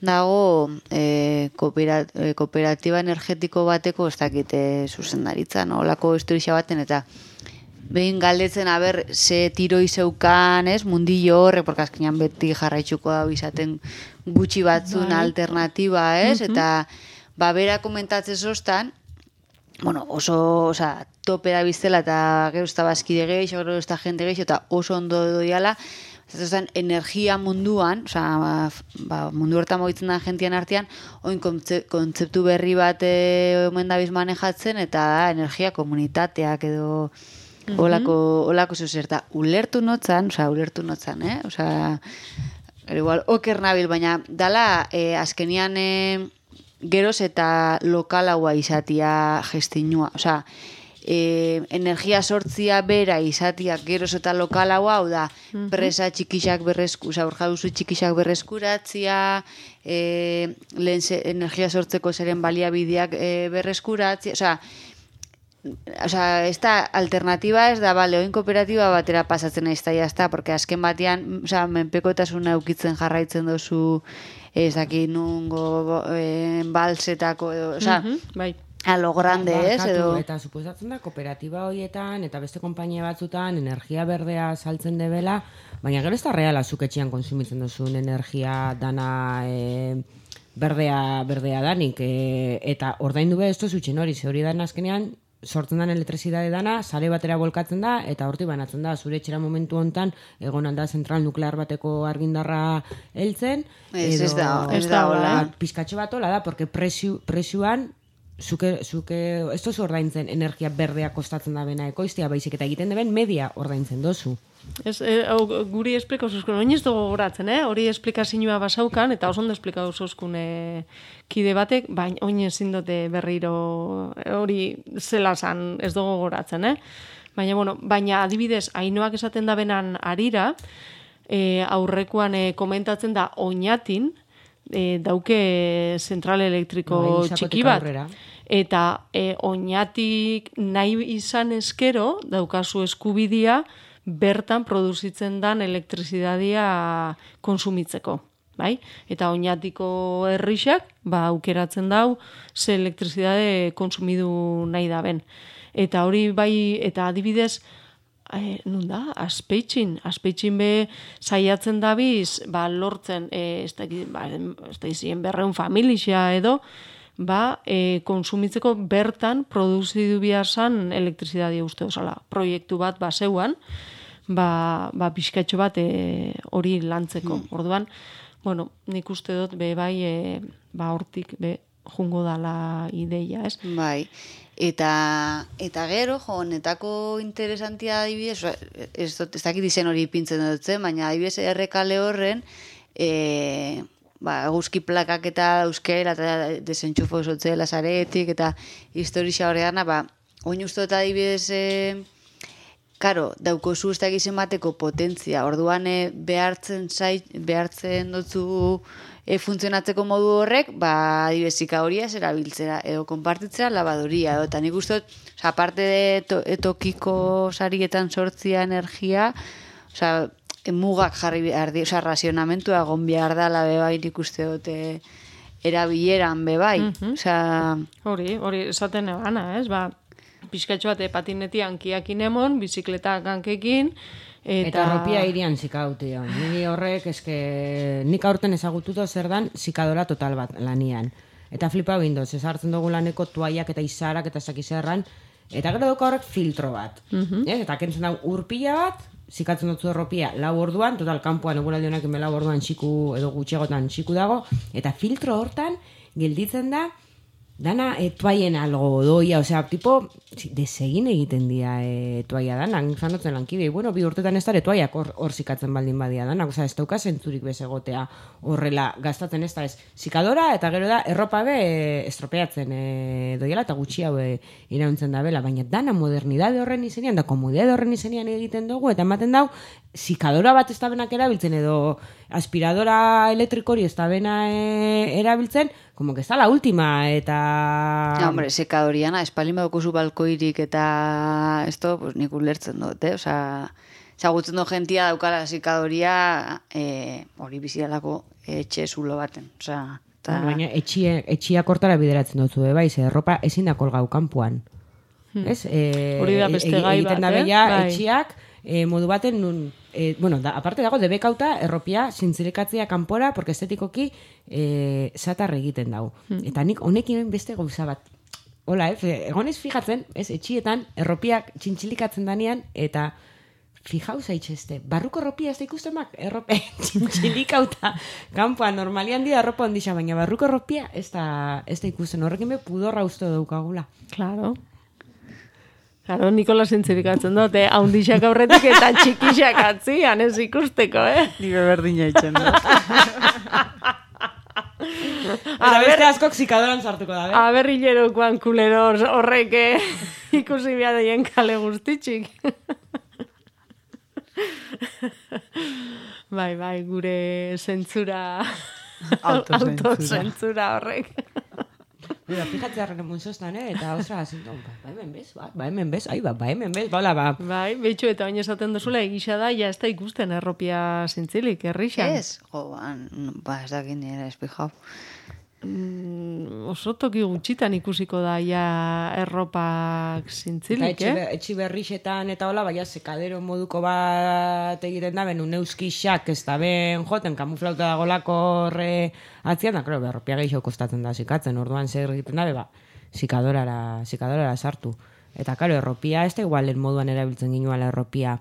dago e, kooperat, e, kooperatiba energetiko bateko, ez dakite zuzendaritza, no? Olako historia baten, eta behin galdetzen aber ze tiro izeukan, ez, mundillo horre, porque azkenean beti jarraitzuko da izaten gutxi batzun alternatiba, ez, eta ba, bera komentatzen zoztan, bueno, oso, oza, topera biztela, eta gero ez da bazkide gehiago, gero ez da jente gehiago, eta oso ondo doiala, ez energia munduan, oza, ba, mundu hortan mogitzen da gentian artean, oin kontzeptu berri bat e, omen dabiz manejatzen, eta da, energia komunitateak edo olako, olako zuzerta. Ulertu notzan, oza, ulertu notzan, eh? Oza, igual, oker nabil, baina dala, eh, azkenian eh, geroz eta lokalaua izatia gestinua. Oza, eh, energia sortzia bera izatia geroz eta lokalaua, hau da, presa txikixak berresku, oza, urjauzu txikixak berreskuratzia, eh, lehen ze, energia sortzeko zeren baliabideak eh, berreskuratzia, oza, Osa, esta alternativa ez da, bale, oin kooperatiba batera pasatzen ez da, jazta, porque azken batean, osa, menpekotasuna eukitzen jarraitzen dozu, ez daki nungo, eh, balsetako, edo, osa, bai. a lo grande, ba, ez, edo... Eta suposatzen da, kooperatiba horietan, eta beste konpainia batzutan, energia berdea saltzen debela, baina gero ez da reala zuketxean konsumitzen duzun energia dana... E, berdea, berdea danik, e, eta ordaindu be ez duzutxen hori, ze hori dan azkenean, sortzen den elektrizidade dana, sare batera bolkatzen da, eta horti banatzen da, zure etxera momentu hontan, egon da zentral nuklear bateko argindarra heltzen, Ez, edo, ez da, ez da, hola. Pizkatxo bat hola da, porque presu, presuan, zuke, zuke, ez dozu ordaintzen energia berdea kostatzen da bena ekoiztia, baizik eta egiten deben media ordaintzen dozu. Ez, e, au, guri esplikau zuzkun, oin ez dugu goratzen, eh? Hori esplikazioa basaukan, eta oso ondo esplikau zuzkun e, kide batek, baina oin ezin dute berriro hori zela zan ez dugu goratzen, eh? Baina, bueno, baina adibidez, Ainoak esaten da benan arira, e, aurrekoan e, komentatzen da oinatin, e, dauke zentral elektriko Bai, Sakotik txiki bat. aurrera. Eta e, oinatik nahi izan eskero, daukazu eskubidia, bertan produzitzen dan elektrizidadia konsumitzeko. Bai? Eta oinatiko herrixak, ba, aukeratzen dau, ze elektrizidade konsumidu nahi da ben. Eta hori bai, eta adibidez, eh, nun da, aspeitxin, aspeitxin be saiatzen dabiz, ba, lortzen, eh, ez da, ba, ez da izien berreun familia edo, ba, eh, konsumitzeko bertan produzidu behar zan elektrizidadia uste osala. Proiektu bat, ba, zeuan, ba, ba, pixkatxo bat eh, hori lantzeko. Hmm. Orduan, bueno, nik uste dut, be, bai, e, ba, hortik, be, jungo dala ideia, ez? Bai, eta, eta gero, jo, honetako interesantia adibidez, ez, dut, ez dakit izen hori pintzen dutzen, baina adibidez errekale horren, e, ba, eguzki plakak eta euskera, eta desentxufo sotzela zaretik, eta historia horrean, ba, oin uste dut adibidez, e, Karo, daukozu ez dakizen bateko potentzia, orduan e, behartzen zait, behartzen dutzu e, funtzionatzeko modu horrek, ba, adibezika horia erabiltzera, edo konpartitzera labadoria, edo, eta nik uste dut, oza, aparte de to, etokiko sarietan sortzia energia, oza, e, mugak jarri behar di, oza, razionamentua egon behar da, la bebai nik uste dut e, erabileran bebai, Mhm. oza... Hori, hori, esaten egana, ez, ba, pizkatxo bat patineti hankiakin emon, bizikletak hankekin, eta... Eta arropia irian zikauti. Niri horrek, eske, nik aurten ezagututo zer dan zikadora total bat lanian. Eta flipa bindoz, ez hartzen dugu laneko tuaiak eta izarak eta sakizerran, eta gero dugu horrek filtro bat. Mhm. eh? Eta kentzen dugu urpila bat, zikatzen dutzu erropia lau orduan, total kanpoan eguraldi honak lau orduan txiku edo gutxiagotan txiku dago, eta filtro hortan gelditzen da dana e, toaien algo doia, osea, tipo, desegin egiten dira e, toaia danak, zanotzen lankidei, bueno, bi urtetan ez dara toaiak hor, hor zikatzen baldin badia danak, osea, ez dauka zentzurik bezegotea horrela gastatzen ez da, ez zikadora, eta gero da, erropa be e, estropeatzen e, doiela, eta gutxi hau e, irauntzen da bela, baina dana modernidade horren izenean, da komodidade horren izenean egiten dugu, eta ematen dau, zikadora bat ez da benak erabiltzen, edo aspiradora elektrikori ez da bena e, erabiltzen, como que está la última, eta... Ja, hombre, sekadoriana, espalin badukuzu balkoirik eta esto, pues nik ulertzen dut, eh? Osa, zagutzen dut gentia daukala sekadoria eh, hori bizidalako etxe zulo baten. Osa, ta... Baina etxie, etxia kortara bideratzen dutzu, e, bai, ze erropa ezin da kolgau kanpoan. Hmm. Ez? E, Hori da beste e, gai egiten bat, da eh? bella, Bai. etxiak e, modu baten nun... E, bueno, da, aparte dago, debekauta erropia zintzilekatzea kanpora, porque estetikoki e, zatar egiten dago. Hmm. Eta nik honekin beste gauza bat. Hola, ez? Egonez fijatzen, ez, etxietan erropiak txintxilikatzen danean, eta fijau zaitxezte, barruko erropia ez da ikusten mak, errope txintxilikauta kanpoan, normalian dira erropa ondisa, baina barruko erropia ez da, ez da ikusten, horrekin be pudorra uste daukagula. Claro. Claro, Nikola zintzirikatzen dut, eh? Haundixak aurretik eta txikixak atzian, ez ikusteko, eh? Ni berdina itzen dut. Eta beste askok zikadoran sartuko da, be? Aberrilerokoan kulero horrek eh, ikusi behar dien kale guztitxik. Bai, bai, gure zentzura... Autozentzura. Autozentzura horrek. Mira, fíjate arren munzostan, eh? Eta ostra, zintu, ba hemen bez, ba, ba hemen bez, ai, ba, ba hemen bez, bala, ba. Bai, betxu eta bain esaten duzula, egisa da, ja ez da ikusten erropia zintzilik, errixan. Ez, jo, ba, ba ez dakit nire espijau. Mm, oso toki gutxitan ikusiko da ja erropak Eta zintzilik, etxi, eh? etxi berrixetan eta hola, baina sekadero moduko bat egiten da, ben, uneuzkixak ez da ben joten, kamuflauta dagolako horre atzian, da, klaro, berropia gehiago kostatzen da zikatzen, orduan zer egiten da, ba, zikadorara, zikadorara sartu. Eta, klaro, erropia, ez da igualen moduan erabiltzen ginuala erropia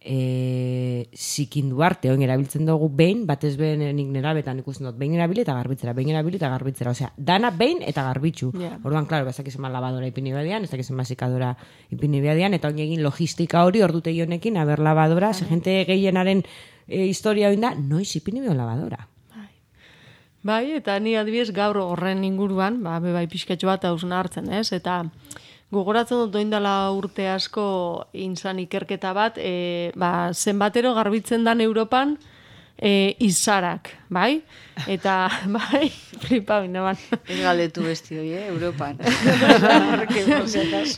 e, zikindu arte, oin erabiltzen dugu behin, batez behin nik nerabetan ikusten dut, behin erabili eta garbitzera, behin erabili eta garbitzera, osea, dana behin eta garbitzu. Yeah. Orduan, klaro, ez dakizen labadora ipini badian, ez dakizen zikadora ipini badian, eta oin egin logistika hori ordutegi honekin, aber labadora, ze gente gehienaren e, historia oin da, noiz ipini bion labadora. Bai, eta ni adibidez gaur horren inguruan, ba, bai pixkatxo bat hausna hartzen, ez? Eta gogoratzen dut doindala urte asko inzan ikerketa bat, e, ba, zenbatero garbitzen dan Europan e, izarak, bai? Eta, bai, flipa binaban. Ez galdetu besti hoi, eh, Europan.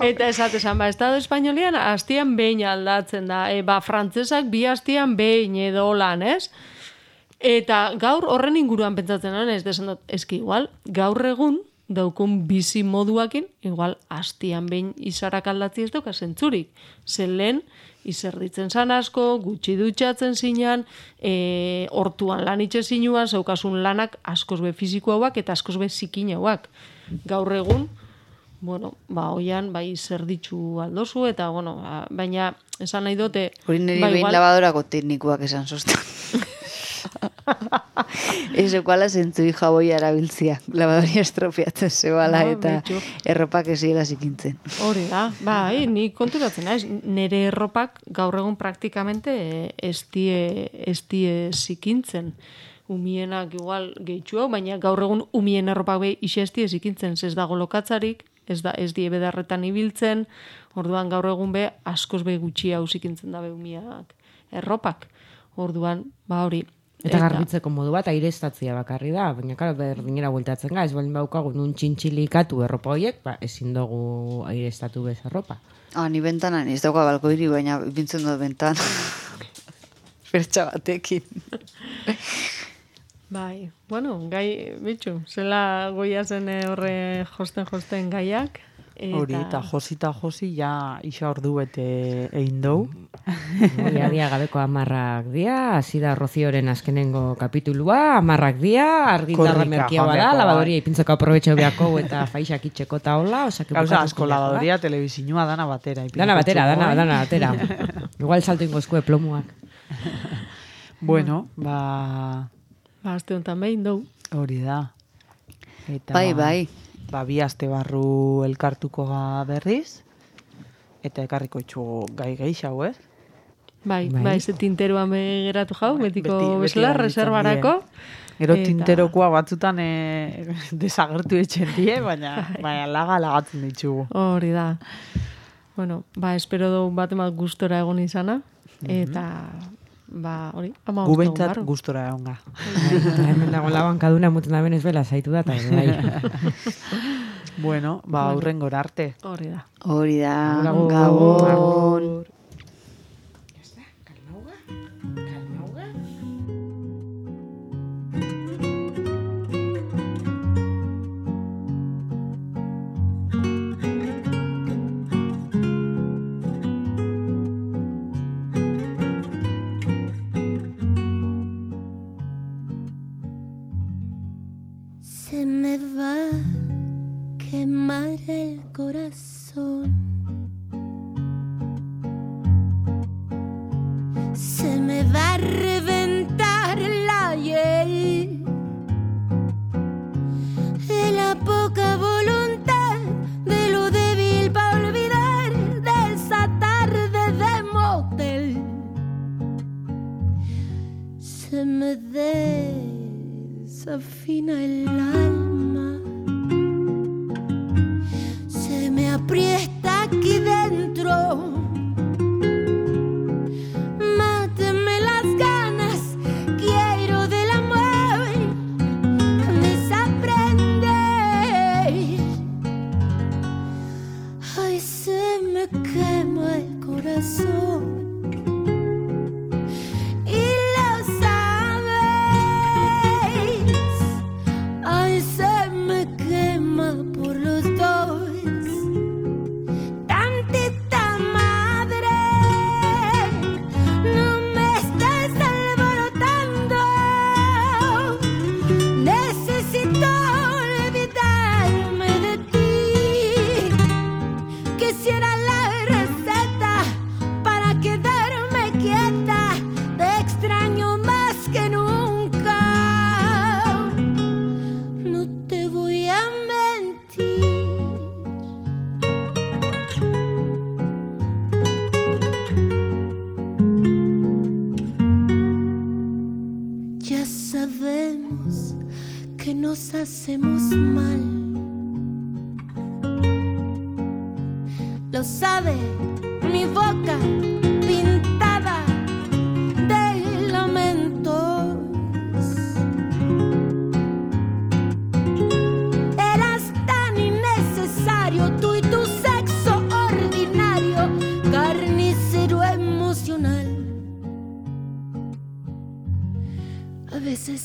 Eta esatezan, ba, Estado Espainolian hastian behin aldatzen da. E, ba, frantzesak bi hastian behin edo lan, ez? Eta gaur horren inguruan pentsatzen nuen, ez desan dut, eski igual, gaur egun daukun bizi moduakin, igual hastian behin izarak aldatzi ez dauka zentzurik. Zen lehen, izerditzen zan asko, gutxi dutxatzen zinan, e, hortuan lan itxe zinuan, zeukasun lanak askoz be fiziko hauak eta askoz be zikin hauak. Gaur egun, bueno, ba, oian, bai, zerditzu aldozu, eta, bueno, ba, baina, esan nahi dute... Hori niri ba, behin igual- lavadorako teknikuak esan zoztan. Ez ekuala zentzu jaboi arabiltzia. Lavadoria estropiatzen zebala Ba, eta betxu. erropak eziela zikintzen. Hori da, bai, ni konturatzen naiz, nire erropak gaur egun praktikamente eh, ez die, ez die zikintzen. Umienak igual gehitxu, baina gaur egun umien erropak behi ise ez die zikintzen, ez dago lokatzarik, ez da ez die bedarretan ibiltzen, orduan gaur egun be askoz be gutxi hau zikintzen dabe umiak erropak. Orduan, ba hori. Eta garbitzeko modu bat aireztatzia bakarri da, baina karo berdinera bueltatzen ga, ez baldin baukagu nun txintxilikatu erropa horiek, ba, ezin dugu aireztatu bez erropa. Ah, ni bentanan, ez dauka balkoiri, baina bintzen dut bentan. Pertsa batekin. Bai, bueno, gai, bitxu, zela goia zen eh, horre josten-josten gaiak. Hori, eta josita josi, ja isa ordu bete egin dou. Dia, dia gabeko amarrak dia, hasi da Rocioren azkenengo kapitulua, amarrak dia, argindarra Korrika, merkia joan bada, beharko, labadoria ipintzeko aprobetxo beako eta faisak itxeko eta hola, osake Gauza bukatuko asko beharko da. lavadoria, telebizinua, dana batera. Dana batera, dana, ipinko dana batera. Igual salto ingozkue plomuak. Bueno, ba, Ba, azte honetan behin dou. hori da. Eta, Bai, bai. Ba, bi aste barru elkartuko ga berriz, eta ekarriko itxu gai geixau, ez? Bai, Bai. bai, ze tinteruan begeratu jau, betiko Beti- beti bezala, garbitzen reservarako. Gero Eta- tinterokoa batzutan e, desagertu etxen die, baina, baina laga lagatzen ditugu. Hori da. Bueno, ba, espero du bat emat gustora egon izana, eta, ba, hori, ama Gu gustu behintzat barru. gustora egon ga. Eta hemen dago labankaduna muten da benez bela zaitu da, eta bai. Bueno, ba, aurrengor arte. Hori da. Hori da, Agur, Gabon. agur. Se me va a quemar el corazón. Se me va a reventar la hiel. De la poca voluntad, de lo débil para olvidar de esa tarde de motel. Se me desafina el alma, se me aprieta aquí dentro. Máteme las ganas, quiero del amor desaprender. Ay, se me quema el corazón. Y lo sabes, ay, se me quema por los dos. Tantita madre, no me estés alborotando. Necesito olvidarme de ti. Quisiera la receta para quedarme quieta. Te extraño más que nunca. No te voy a mentir. Ya sabemos que nos hacemos mal. Lo sabe mi boca pintada de lamento. veces